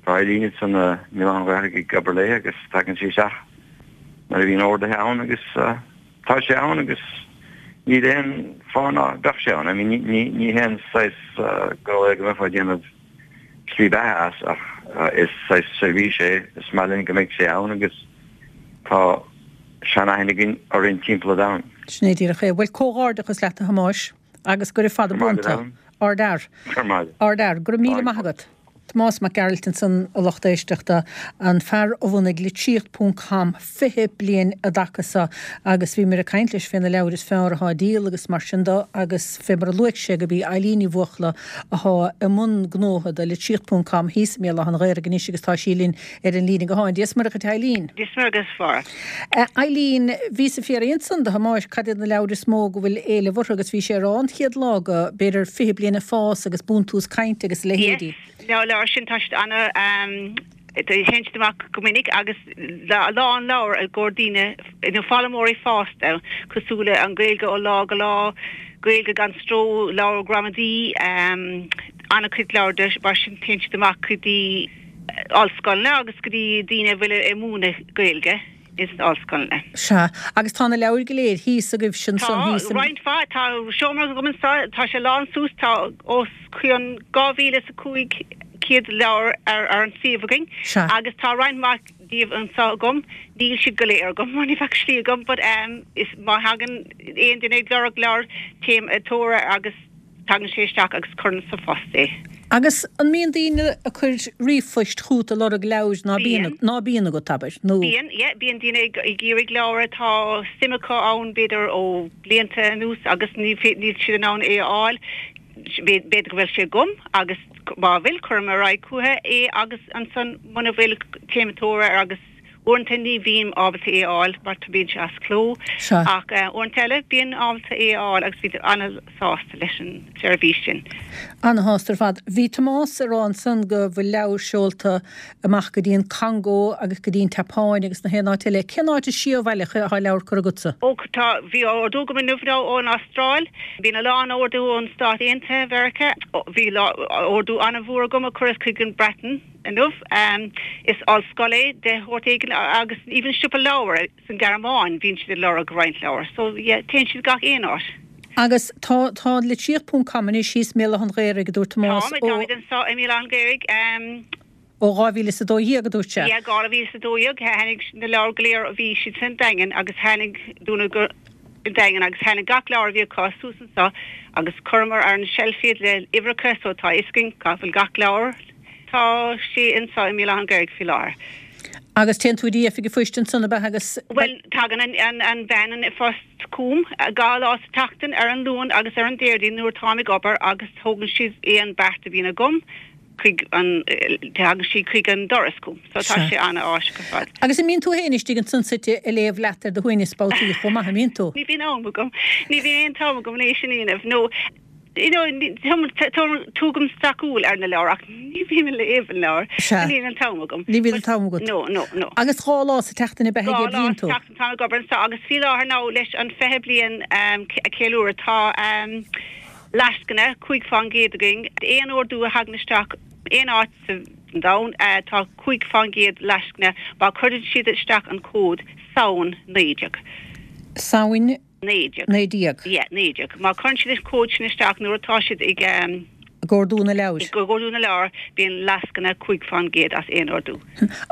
tá Eileen ansan i mBéal Átha an Ghaorthaidh ag obair léi agus tagann sí isteach nuair a bhíonn orduithe ann agus tá sé ann agus níl aon fáth ná beadh sé ann. I mean, ní, ní, ní haon saghas gnó é go mbeifeá ag déanamh slí beatha as ach is saghas seirbhís é, is maith linn go mbeidh sé ann agus tá seanaithne againn orainn timpeall an domhain. Sin é díreach é. Bhuel, comhghairdeachas leat a Thomáis agus gura fada buan tú. Ardfhear. Ardfhear. Go raibh míle maith agat. Tomás Mac Gearailt ansan, a lucht éisteachta, an fear a bhunaigh Litríocht ponc com fiche bliain i dtaca so agus bhíomar ag caint leis fé na leabhair is fearr athá á díol agus mar sin do agus fé mar a luaigh sé gurb í Eileen Ní Bhuachalla athá i mbun gnótha do Litríocht ponc com thíos i mBéal Átha an Ghaorthaidh anois agus tá sí linn ar an líne gutháin. Dia 's Muire dhuit Eileen. Dia 's Muire dhuit a Mháire. Eileen, bhíos ag fiafraí ansan de Thomáis cad iad na leabhair is mó go bhfuil éileamh orthu agus bhí sé ag rá an chéad lá go b'fhéidir fiche bliain ag fás agus Buntús Cainte agus a leithéidí. Yes, na leabhair sin tá siad ana téann siad amach go minic agus a lán leabhar i gcomhair daoine nó foghlaimeoirí fásta cosúil le An Ghaeilge ó lá go lá, Gaeilge gan stró, leabhar gramadaí, an-chuid leabhar de mar sin téann siad amach go dtí ollscoileanna agus go dtí daoine a bhfuil ag múineadh Gaeilge ins na ollscoileanna. Sea, agus tá na leabhair go léir thíos agaibhse ansan Tá, thíos i. roinnt mhaith. Tá seomra agam anseo, tá sé lán suas, tá os cionn dhá mhíle is a cúig chéad leabhar ar ar an suíomh againn Sea. agus tá roinnt mhaith díobh anseo agam. Níl siad go léir agam mar ní bheadh slí agam but ehm is má thagann aon duine ag lorg leabhar téim ag tóir air agus tagann sé isteach agus cuireann sa phost é. Agus an mbíonn daoine ag cur ríomhphoist chugat ag lorg leabhair ná bíonn ná bíonn agat, abair, nó. Bíonn, yeah, bíonn daoine ag ag iarraidh leabhar atá suim acu ann b'fhéidir ó blianta anuas agus ní níl siad in ann é a fháil. B'fhéidir go bhfuil sé agam agus má bhfuil cuirim ar aghaidh chucu é agus ansan muna bhfuil téim ag tóir air agus uaireanta ní bhím ábalta é a fháil mar tá bíonn sé as cló Sea. ach uaireanta eile bíonn ábalta é a fháil agus bíonn an-sásta leis an seirbhís sin. Ana-shásta ar fad. Bhí Tomás ag rá ansan go bhfuil leabhair seolta amach go dtí an Congó agus go dtí an tSeapáin agus na haon áit eile. Cén áit is sia ó bhaile atá leabhar curtha agatsa? Ó tá, bhí ordú agam inniu now ón Astráil. Bíonn a lán ordú ón Stát Aontaithe Mheiriceá. Bhí ordú an-mhór agam a cuireadh chuig an Breatain inniu. Is ollscoil é de shórt éigin agus even siopa leabhar san Ghearmáin bíonn siad ag lorg roinnt leabhar. So yeah, téann siad gach aon áit. Agus tá tá litríocht ponc com anois thíos i mBéal Átha an Ghaorthaidh, a dúirt Tomás, Tá, táimid anseo i mBéal Átha an Ghaorthaidh. Ó dhá mhíle is a dó dhéag, a dúirt sé. Yeah, dhá mhíle is a dó dhéag, tháinig na leabhair go léir, bhí siad san Daingean agus tháinig dúnadh go Daingean agus tháinig gach leabhar a bhí acu suas anseo agus chuireamar ar an shelf iad le uimhreacha so tá a fhios againn cá bhfuil gach leabhar. Tá sé anseo i mBéal Átha an Ghaorthaidh faoi láthair. Agus téann tú dtí oifig an phoist ansan ab ea agus. Bhuel, tagann an, an, an bhean an phoist chugam dhá lá sa tseachtain ar an Luan agus ar an Déardaoin nuair atáim ag obair agus tógann siad aon beart a bhíonn agam chuig an, tagann sí chuig an doras chugam. So tá sé an-áisiúil ar fad. Agus an mbíonn tú féin istigh ansan suite ag léamh leat ar do shuaimhneas babhtaí chomh maith, an mbíonn tú? Ní bhíonn am agam. Ní bhíonn aon t-am agam le sin a dhéanamh. No, you know, tugaim sracshúil ar na leabhair ach ní bhím ag léamh an leabhar. Sea. Ní bhíonn an t-am agam. Ní bhíonn an t-am agat. No, no, no. Agus dhá lá sa tseachtain ab ea Dhá ag lá oibríonn sa tú? tseachtain táim ag obair anseo agus faoi láthair now leis an fiche bliain a cheiliúradh tá lascaine cúig fán gcéad againn. Aon ordú a thagann isteach aon áit sa domhan tá cúig fán gcéad lascaine má chuireann siad isteach an cód Samhain naoi déag. Samhain naoi déag. naoi déag. Yeah, naoi déag. Má chuireann siad an cód sin isteach nuair atá siad ag Ag ordú na leabhar. Ag ordú na leabhar bíonn lascaine cúig fán gcéad as aon ordú.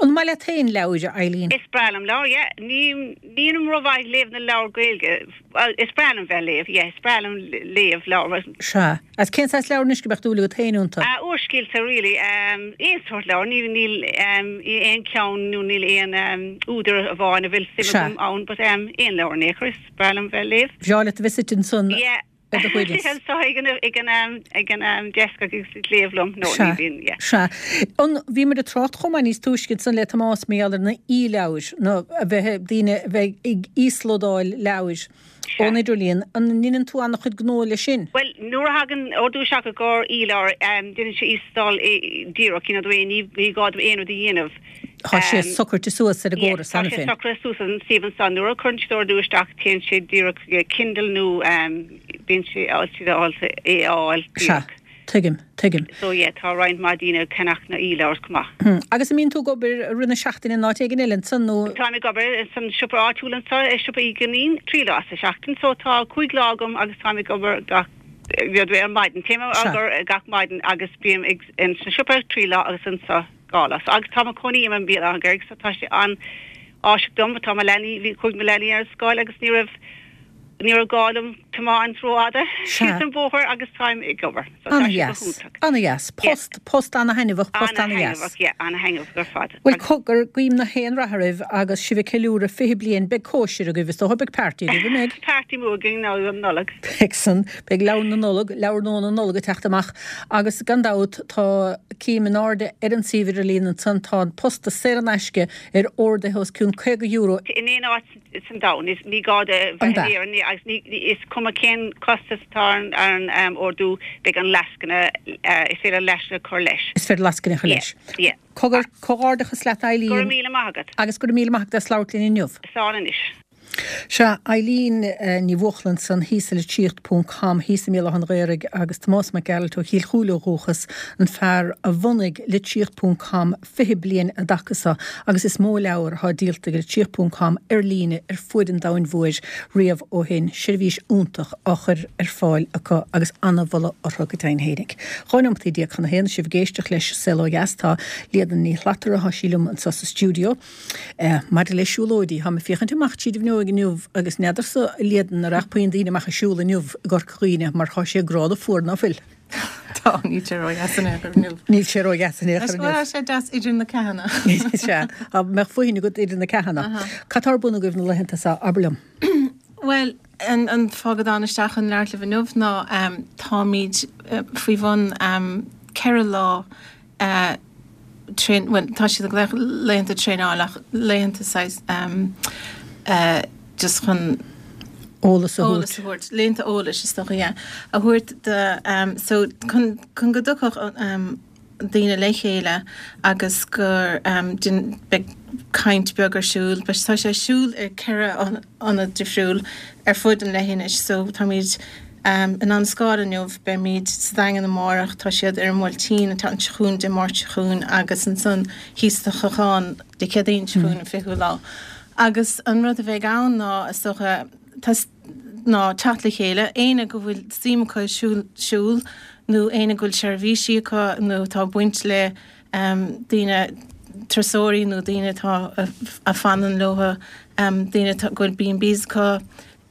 An maith leat féin leabhair, a Eileen? Is breá liom leabhair, yeah. Ní nílim rómhaith ag léamh na leabhar Gaeilge. Bhuel, is breá liom bheith ag léamh, yeah, is breá liom léamh leabhar. Sea. Agus cén saghas leabhar anois go mbeadh dúil agat féin iontu? Ah, úrscéalta, really. Aon sórt leabhar. Níl níl aon cheann nó níl aon údar amháin a bhfuil suim agam ann, but aon leabhar in aon chor, is breá liom bheith ag léamh. Bhreá leat a bheith suite ansan Yeah. ar do shuaimhneas. Anseo ag an ag an ag an desk agus ag léamh liom. No, ní Sea. bhíonn, yeah. Sea. An bhíomar ag trácht chomh maith níos túisce ansan le Tomás mar gheall ar na e-leabhair, nó a bheith daoine a bheith ag íoslódáil leabhair Sea. ón idirlíon. An ndeineann tú an-chuid gnó leis sin? Bhuel, nuair a thagann ordú isteach i gcomhair e-leabhar, déanann sé íoslódáil díreach, you know, the way ní ní gá dom aon rud a dhéanamh. Tá sé socraithe suas ar an gcóras cheana féin. Tá sé socraithe suas an suíomh ansan. Nuair a chuireann siad ordú isteach téann sé díreach go Kindle nó bíonn sé ábalta é a fháil Sea, díreach. tuigim, tuigim. So yeah, tá roinnt mhaith daoine ag ceannach na e-leabhars chomh maith. Agus an mbíonn tú ag obair i rith na seachtaine in áit éigin eile ansan nó? Táim ag obair san siopa áitiúil anseo, i siopa Uí Dhuinnín, trí lá sa seachtain. So tá cúig lá agam agus táim ag obair gach ar maidin. Téim ag obair gach maidin agus bím ag in sa siopa trí lá agus anseo dhá lá. So agus tá mo chónaí i mBéal Átha an Ghaorthaidh so tá sé an-áisiúil dom tá mo leanaí bhí chuaigh mo leanaí ar scoil agus ní raibh ní raibh gá liom tiomáint rófhada síos an bóthar agus táim ag obair. So tá sé go Ana-dheas, hiontach. ana-dheas. Post, post ana-thaitneamhach, post ana-dheas. Ana-thaitneamhach, yeah, ana-thaitneamhach ar fad. Bhuel cogar, guím na haon rath oraibh agus sibh ag ceiliúradh fiche bliain, beidh cóisir agaibh is dócha, beidh party agaibh, an mbeidh? Party mór againn ná an Nollaig. Beidh san, beidh leabhar na Nollag, leabhar nua na Nollag ag teacht amach agus gan dabht tá cím in airde ar an suíomh idirlín ansan, tá an postas saor in aisce ar orduithe os cionn caoga euro. In aon áit san domhan, is ní gá do An bheith ea? in Éirinn agus ní is cuma cén costas atá ar an ar an ordú beidh an lascaine is féidir lascaine a chur leis. Is féidir lascaine a chur leis. Yeah, yeah. Cogar, comhghairdeachas leat Eileen. Go raibh míle maith agat. Agus go raibh míle maith agat as labhairt linn inniu. Slán anois. Sea, Eileen Ní Bhuachlann san thíos i litríocht ponc com thíos i mBéal Átha an Ghaorthaidh agus Tomás Mac Gearailt ó Chill Chúile ó dhúchas, an fear a bhunaigh litríocht ponc com fiche bliain i dtaca seo agus is mó leabhar atá díolta ag litríocht ponc com ar líne ar fuaid an domhain mhóir riamh ó shin, seirbhís iontach á chur ar fáil acu agus an-mholadh orthu go deimhin fhéinig. Dhá nóimeataí déag chun a haon sibh ag éisteacht leis Saol Ó Dheas tá Líadan Ní Shlatara thá sí liom anseo sa stiúideo. Maidir le siúlóidí, tá mé ag féachaint amach tríd an bhfuinneog inniu agus n'fheadarsa a Líadan an raibh puinn daoine amach ag siúl inniu i gCorca Dhuibhne mar tá sé gránna fuar ná fuil. Tá. Tá, níl sé ró-dheas in aon chor inniu. Níl sé ró-dheas in aon chor inniu. Tá sé deas idir na ceathanna. Sea, dá mbeadh fóithín agat idir na ceathanna. Cad tá ar bun agaibh na laethanta seo, abair liom? Bhuel, an, an fáth go dtána isteach chun labhairt libh inniu ná um, táimid uh, faoi bhun um, ceithre lá uh, train, well, tá siad ag glaoch laethanta traenála ach laethanta saghas um, uh, just chun Eolas a eolas thabhairt. a thabhairt, laethanta eolais is dócha, yeah, a thabhairt do um, so chun, chun go dtiocfadh um, daoine le chéile agus gur um, din, beidh caint beag ar siúl, but tá sé ar siúl ar ceithre ionad difriúil ar fud an leithinis, so táimid um, in Abhainn an Scáil inniu, beimid sa Daingean amárach, tá siad ar an mBuailtín an tseachtain seo chugainn, Dé Máirt seo chugainn agus ansan thíos sa Chlochán Dé Céadaoin seo chugainn an fichiú lá. Agus an rud a bheidh ann ná is dócha ná teacht le chéile, éinne go bhfuil suim acu siúl, siúl nó éinne go bhfuil seirbhísí acu nó atá baint le um, daoine turasóirí nó daoine atá a, a fanann leo, um, daoine atá go bhfuil B and Bs acu,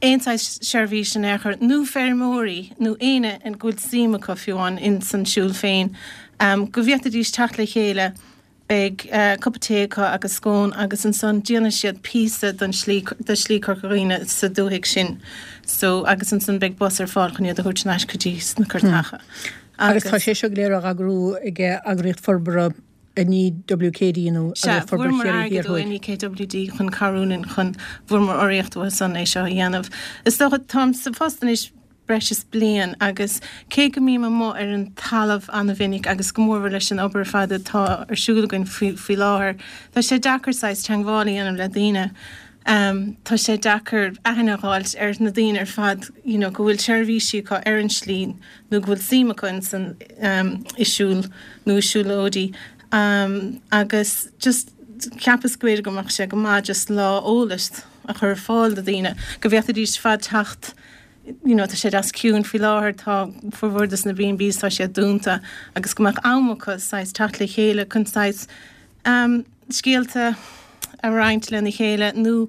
aon saghas seirbhís in aon chor nó feirmeoirí nó éinne an go bhfuil suim acu fiú amháin in san siúl féin, um, go bhféadfaidís teacht le chéile. Beidh uh, cupa tae acu agus scón agus ansan déanfaidh siad píosa don slí de Shlí Chorca Dhuibhne sa dúthaigh sin. So agus ansan beidh bus ar fáil chun iad a thabhairt ar ais go dtí na Curtacha. Agus tá sé seo go léir á eagrú ag eagraíocht forbartha N E W K D nó Sea, eagraíocht forbartha fuaireamar Chiarraí airgead Thiar ó Thuaidh. N E K W D chun cabhrú linn chun fuaireamar urraíocht uathu san é seo a dhéanamh. Is dócha táim sa phost anois breis is bliain agus cé go mbím amuigh ar an talamh an-mhinic agus go mór leis an obair fad atá ar siúl againn faoi, faoi láthair, tá sé deacair saghas teagmháil a dhéanamh le daoine. Um, tá sé deacair aithne a fháilt ar na daoine ar fad you know, go bhfuil seirbhísí acu ar an slí nó go bhfuil suim acu in san um, i siúl nó i siúlóidí. Um, agus just cheapas go bhféidir go mbeadh sé go maith just lá eolais a chur ar fáil do daoine, go bhféadfaidís fad teacht you know, tá sé deas ciúin faoi láthair tá formhór des na B and Bs tá sé dúnta agus go mbeadh am acu saghas teacht le chéile chun saghas um, scéalta a roinnt lena chéile nó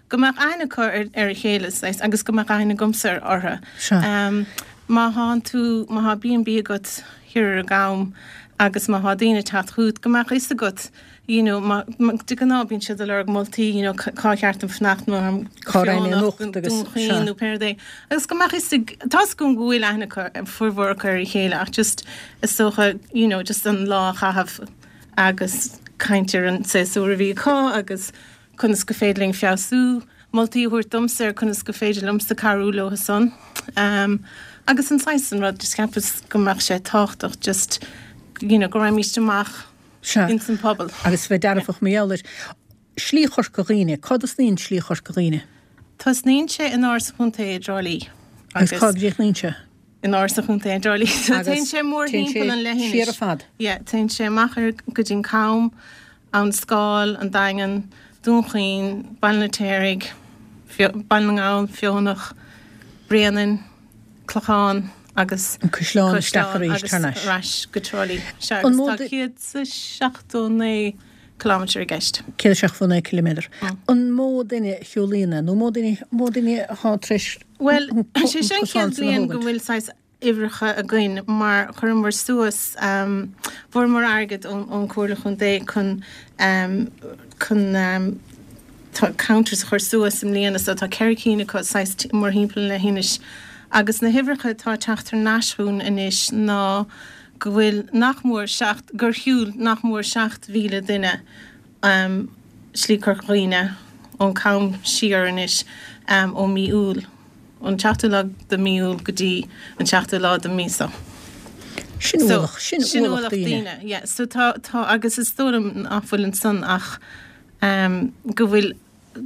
go mbeadh aithne acu ar, ar a chéile saghas, agus go mbeadh aithne agamsa orthu. Sea. Um, má tá tú má tá B and B agat thiar ar an gCam agus má tá daoine teacht chugat go mbeadh fhios agat you know, ma, ma, de ghnáth bíonn siad ag lorg moltaí you know, cá cheart dom fanacht nó Cá raibh mé anocht agus- sea. nó pé rud é. Agus go mbeadh fhios ag- tá go go bhfuil aithne acu formhór acu ar a chéile ach just is dócha you know, just an lá a chaitheamh agus caint ar an séasúr a bhí acu agus conas go féidir linn feabhsú, moltaí a thabhairt domsa ar conas go féidir liomsa cabhrú leo san. Um, agus an saghas an rud just cheapas go mbeadh sé tábhachtach just you know, go raghaimís amach Sea. in san pobal. Agus bheith dearfach mar gheall air. Slí Chorca Dhuibhne, cá dtosnaíonn Slí Chorca Dhuibhne? Tosnaíonn sé in Áras an Chontae i dTrá Lí. Agus cá gcríochnaíonn sé? In Áras an Chontae i dTrá Lí. So Agus téann sé mór téann sé thimpeall an leithinis. siar ar fad. Yeah, téann sé amach ar go dtí an Cam, an Scáil, an Daingean, Dún Chaoin, Baile an Fheirtéaraigh, Baile na nGall, Feonach, Bréanainn, Clochán agus An Caisleán isteach arís agus thar n-ais. ar ais go Trá Lí. Sea, An agus mó tá de- céad is seachtó naoi kilometre i gceist. Céad seachtó naoi kilometre. An mó duine a shiúlaíonn é, nó mó duine mó duine atá tar éis Well, an co- sé an sin cosán chéad san a bliain go thógaint? bhfuil saghas uimhreacha againn mar chuireamar suas um, fuaireamar airgead ón ón Chomhairle Chontae chun um, chun um, tá counters a chur suas i mbliana so tá ceithre cinn acu saghas t- mórthimpeall an leithinis. Agus na huimhreacha atá ag teacht thar n-ais chugainn anois ná go bhfuil nach mór seacht gur shiúil nach mór seacht mhíle duine um, Slí Chorca Dhuibhne ón Cam siar anois um, ó mí Iúil. Ón seachtú lá de mí Iúil go dtí an seachtú lá de mí seo. Sin So, ualach, sin ualach daoine. Yeah, so tá tá agus is dóigh liom nach bhfuil ansan ach um, go bhfuil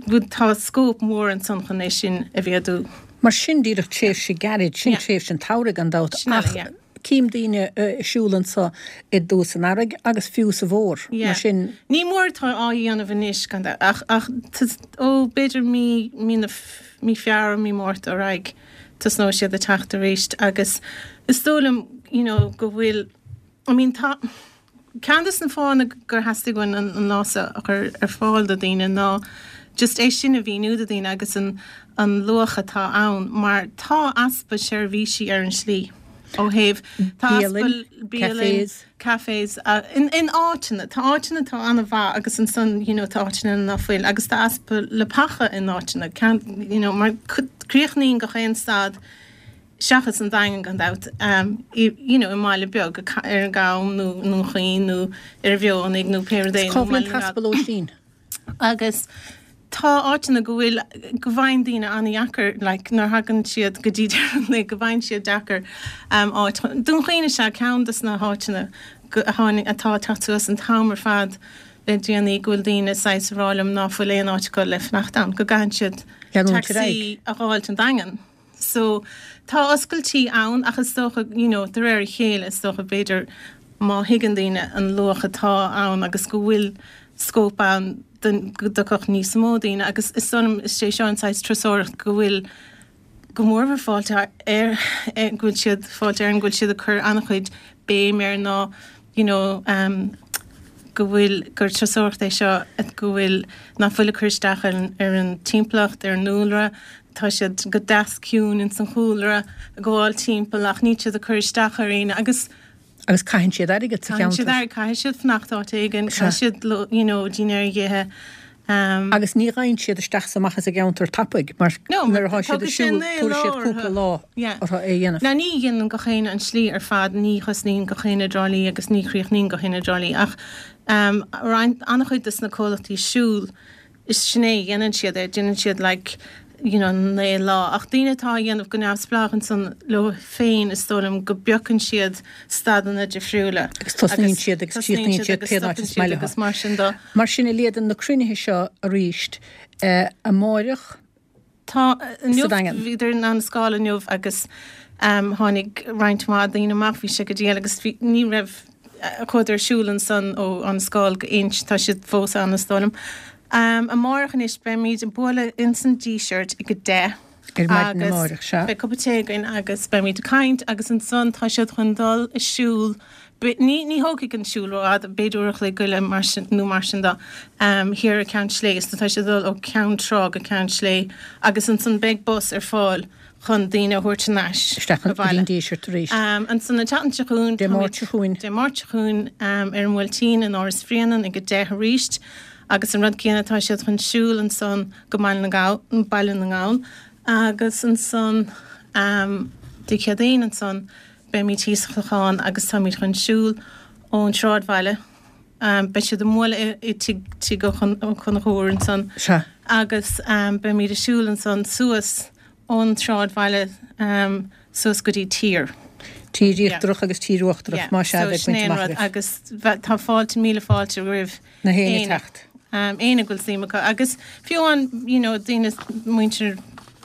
go tá scóip mór ansan chun é sin a mhéadú. Mar sin díreach tréimhse gairid, sin Yeah. tréimhse an tsamhraidh gan dabht Sin eile, ach yeah. cím daoine uh, siúl anseo i dtús an earraigh agus fiú sa bhfómhar. Yeah. Mar sin Ní mór tá á dhéanamh anois gan dabht, ach ach tus- ó b'fhéidir mí mí na f- mí Feabhra mí Márta ar aghaidh tosnóidh siad ag teacht arís agus is dóigh liom you know, go bhfuil I mean tá ceann des na fáthanna gur theastaigh uainn an, an lá seo a chur ar fáil do daoine ná just é sin a mhíniú do daoine agus an, an luach atá ann mar tá easpa seirbhísí ar an slí. Ó thaobh tá easpa bialann, cafés, in in áiteanna, tá áiteanna atá an-mhaith agus ansan you know tá áiteanna ná fuil agus tá easpa leapacha in áiteanna, you know mar críochnaíonn gach aon stad seachas an Daingean gan dabht you know i mbaile beag ar an gCam nó i nDún Chaoin nó ar an Mhionnaigh nó pé rud é nó Cá bhfuil an t-easpa lóistín? Agus tá áiteanna go bhfuil go bhfaigheann daoine an-dheacair like nuair thagann siad go dtí deireadh an lae go bhfaigheann siad deacair um, áit. Dún Chaoin is ea ceann de na háiteanna go, a tháinig atá ag teacht suas an t-am ar fad le déanaí go bhfuil daoine saghas ag rá liom ná fuil aon áit acu le fanacht ann, go gcaitheann siad Leanúint ar taxi aghaidh. a dh'fháilt an Daingean. So tá oscailtí ann ach is dócha you know de réir a chéile is dócha b'fhéidir má thuigeann daoine an luach atá ann agus go bhfuil scóip ann don go dtiocfadh níos mó daoine agus is dóigh liom is é seo an saghas turasóireacht go bhfuil go mórmhór Fáilte ar go bhfuil siad Fáilte Éireann go bhfuil siad ag cur an-chuid béim air ná you know um go bhfuil gur turasóireacht é seo go bhfuil nach bhfuil ag cur isteach ar an ar an timpeallacht ar an ndúlra tá siad go deas ciúin ins an chúlra ag gabháil timpeall ach níl siad ag cur isteach ar éinne agus Agus caitheann siad airgead sa caitheann siad cheantar. airgead caithfidh siad fanacht áit éigin caithfidh siad you know dinnéar a dh'ithe um Agus ní ghabhann siad isteach is amach as an gceantar tapaidh mar No, nuair atá siad tógfaidh ag sé siúl naoi tabharfaidh lá siad cúpla orthu. lá Yeah. orthu é a dhéanamh. Now ní dhéanann gach éinne an slí ar fad, ní thosnaíonn gach éinne i dTrá Lí agus ní chríochnaíonn gach éinne i dTrá Lí ach um, roinnt an-chuid de na comhlachtaí siúil is sin é a dhéanann siad é, déanann siad like you know naoi lá ach daoine atá á dhéanamh go neamhspleách ansan leo féin is dóigh liom go bpiocann siad stadanna difriúla Agus tosnaíonn agus siad agus tosnaíonn críochnaíonn siad siad agus pé áit stopann is siad maith leo. agus mar sin de. Mar sin a Líadan na cruinnithe seo arís eh, amáireach Tá inniu Sa Daingean. bhíodar in Annascaul inniu agus um, tháinig roinnt mhaith daoine amach bhí sé go diail agus bhí, ní raibh eh, chuadar ar siúl ansan ó Annascaul go Inch tá siad fós ann is dóigh liom. Um, amárach anois beimid ag bualadh ins an Díseart ag a deich. Ar maidin Agus amárach, sea. Beidh cupa tae againn agus beimid ag caint agus ansan tá siad chun dul ag siúl Be- Ní ní thógfaidh an siúl rófhada b'fhéidir uair a chloig go leith mar sin nó mar sin de um, thiar ar Ceann Slé so tá siad dul ó Ceann Trá go Ceann Slé agus ansan beidh bus ar fáil chun daoine a thabhairt thar n-ais Isteach an abhaile. an Díseart arís. Um, ansan an tseachtain seo chugainn Dé Máirt táimid- seo chugainn. Dé Máirt seo chugainn um, ar an Bhuailtín in Áras Bhréanainn ag a deich arís agus an rud céanna tá siad chun siúl ansan go Baile na nGall Baile na nGall agus ansan um, Dé Céadaoin ansan beimid thíos sa Chlochán agus táimid chun siúl ón sráidbhaile. Um, beidh siad ag bualadh i tigh tigh Ó Conchúir ansan Sea. agus um, beimid ag siúl ansan suas ón sráidbhaile um, suas go dtí tír. Tír Íochtarach agus Tír Uachtarach má sea so bheith sin baint é an amach rud agaibh. agus bhe- tá fáilte míle fáilte roimh Na héinne éinne. teacht. Um, éinne go bhfuil suim acu agus fiú an you know, daoine muintir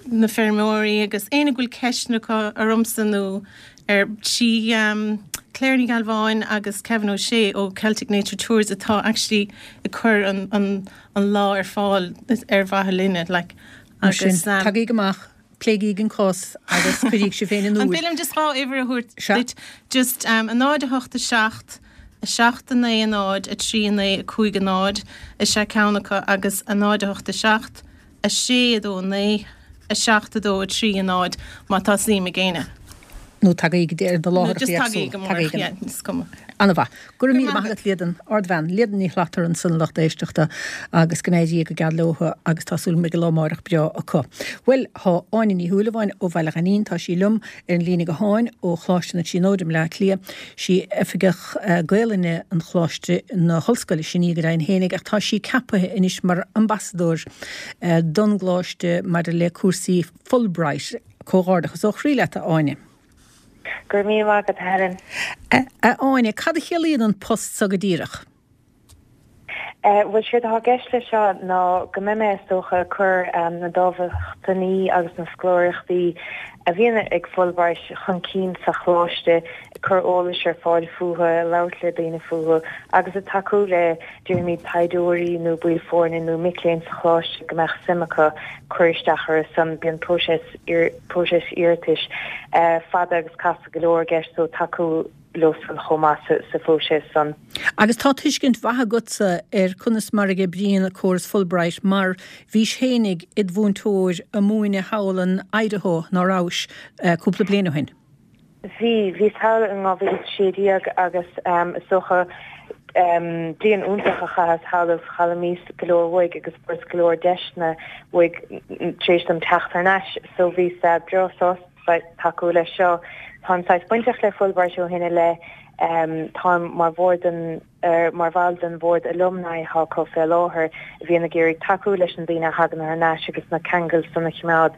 na feirmeoirí agus éinne go bhfuil ceisteanna acu ormsa nó ar tí um, Claire Ní Ghalbháin agus Kevin O'Shea ó Celtic Nature Tours atá actually ag cur an, an, an lá ar fáil ar mhaithe linne like, Mar sin, agus um, tagaigí amach, pléigí an cás agus cuiríg sibh féin in An iúl. bhfuil just dhá uimhir a thabhairt Sea. duit just um, a náid a hocht a seacht a seacht a naoi a náid a trí a naoi a cúig a náid is ea ceann acu agus a náid a hocht a seacht a sé a dó a naoi a seacht a dó a trí a náid má tá suim ag éinne. Nó tagaigí ar na Nó láthair just tagaigí go mór, yeah, is cuma. An-mhaith. Go raibh míle Go maith maith agat Líadan ardbhean, Líadan Ní Shlattar ansan lucht éisteachta agus go n-éirí go geal leo agus tá súil go lá amárach breá acu. Well tá Áine Ní Shúilleabháin ó Bhaile Ghainín tá sí liom ar an líne gutháin ó Choláiste na Tríonóide i mBleá Cliath sí oifigeach uh, Gaelainne an Choláiste na hOllscoile sin í go deimhin fhéinig ach tá sí ceaptha anois mar ambasadóir uh, don gColáiste maidir le cúrsaí Fulbright comhghairdeachas ó chroí leat a Áine. Go raibh míle maith agat Helen. A Áine, cad a chiallaíonn an post so go díreach? Bhuel séard atá i gceist le seo ná go mbeidh mé is dócha cur um, na dámhachtainí agus na scoláireachtaí a bhíonn ag Fulbright chun cinn sa choláiste cur eolais ar fáil fúthu, labhairt le daoine fúthu, agus ag tacú le déarfaimid taighdeoirí nó baill foirne nó mic léinn sa choláiste go mbeadh suim acu cur isteach ar san bíonn próiseas próiseas iarratais uh, fada agus casta go leor i gceist so tacú leo san chomh maith sa, sa phróiseas san. Agus tá tuiscint mhaith agatsa ar conas mar a oibríonn córas Fulbright mar bhís fhéinig id mhúinteoir ag múineadh thall in Idaho ná rabhais uh, cúpla bliain ó shin. Bhí, bhíos thall in dhá mhíle is a sé déag agus is dócha bliain iontach a chaitheas thall agus d'fhoghlaimíos go leor uaidh agus fuaireas go leor deiseanna uaidh tar éis dom teacht thar n-ais so bhíos breá sásta tacú leis seo. Táim saghas bainteach le Fulbright ó shin i leith, táim mar bhord den mar bhall den bhord alumni atá acu fé láthair a bhíonn ag iarraidh tacú leis na daoine a thagann thar n-ais agus na ceangail san a choimeád.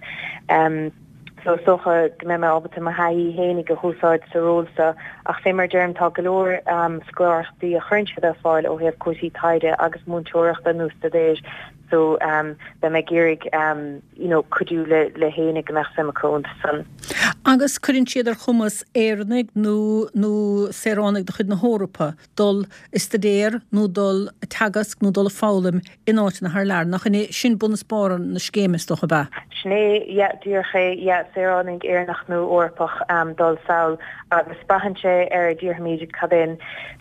So is dócha go mbeidh mé ábalta mo thaithí fhéinig a húsáid sa ról seo ach fé mar a deirim tá go leor scoláireachtaí a chuireann siad ar fáil ó thaobh cúrsaí taighde agus múinteoireachta nó staidéir so beidh mé ag iarraidh you know cuidiú le le héinne go mbeadh suim acu iontu san. Agus cuireann siad ar chumas Éireannaigh nó nó saoránaigh de chuid na hEorpa dul a staidéar nó dul a teagasc nó dul a foghlaim in áiteanna thar lear. Nach in é sin bun is barr na scéime, is dócha, ab ea? Sin é, yeah, díreach é, yeah, saoránaigh Éireannach nó Eorpach dul sall agus braitheann sé ar, déarfaimid, cad é an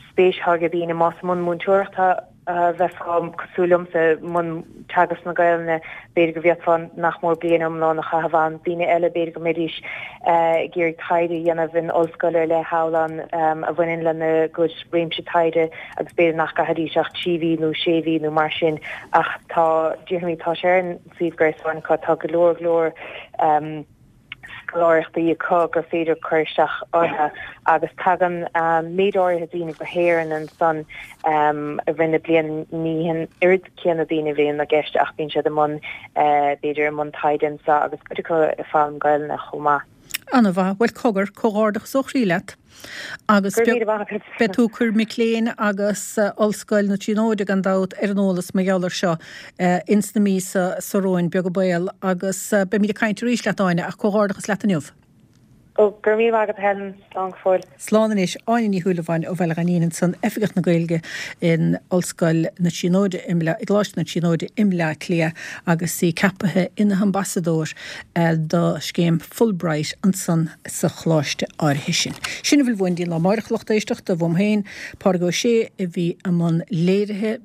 spéis atá ag daoine, más i mbun múinteoireachta a bheifeá, cosúil liomsa, i mbun teagasc na Gaelainne, b'fhéidir go bhféadfá nach mór bliain iomlán a chaitheamh ann. Daoine eile, b'fhéidir go mbeidís ag iarraidh taighde a dhéanamh in ollscoil ar leith thall ann a bhaineann lena gcuid réimse taighde agus b'fhéidir nach gcaithfidís ach trí mhí nó sé mhí nó mar sin. Ach tá, déarfaimid, tá sé ar an suíomh gréasáin acu, tá go leor, go leor. scoláireachtaí acu gur féidir cur isteach orthu agus tagann méid áirithe daoine go hÉirinn ansan i rith na bliana, ní an oiread céanna daoine a bhíonn i gceist ach bíonn siad i mbun, b'fhéidir, i mbun taighde anseo agus cuid acu ag foghlaim Gaelainne chomh maith. Ana-mhaith. Bhuel, cogar, comhghairdeachas ó chroí leat. Agus Go raibh míle maith agat. beidh tú ag cur mic léinn agus Ollscoil na Tríonóide gan dabht ar an eolas mar gheall air seo ins na míosa seo romhainn, beag an baol, agus beimid ag caint arís leat Áine, ach comhghairdeachas leat inniu. Ó, go raibh míle maith agat a Helen. Slán go fóill. Slán anois. Áine Ní Shúilleabháin ó Bhaile Ghainín ansan, Oifigeach na Gaeilge in Ollscoil na Tríonóide i mBleá, i gColáiste na Tríonóide i mBleá Cliath agus í ceapaithe ina hambasadóir do scéim Fulbright ansan sa choláiste áirithe sin. Sin a bhfuil uainn go dtí an lá amáireach, a lucht éisteachta, uaim féin, Pádraig Ó Sé a bhí i mbun léirithe,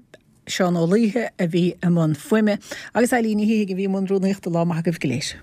Seán Ó Laoithe a bhí i mbun fuaime agus Eilín Ní Shíthigh a bhí i mbun rúnaíochta. Lá maith agaibh go léir.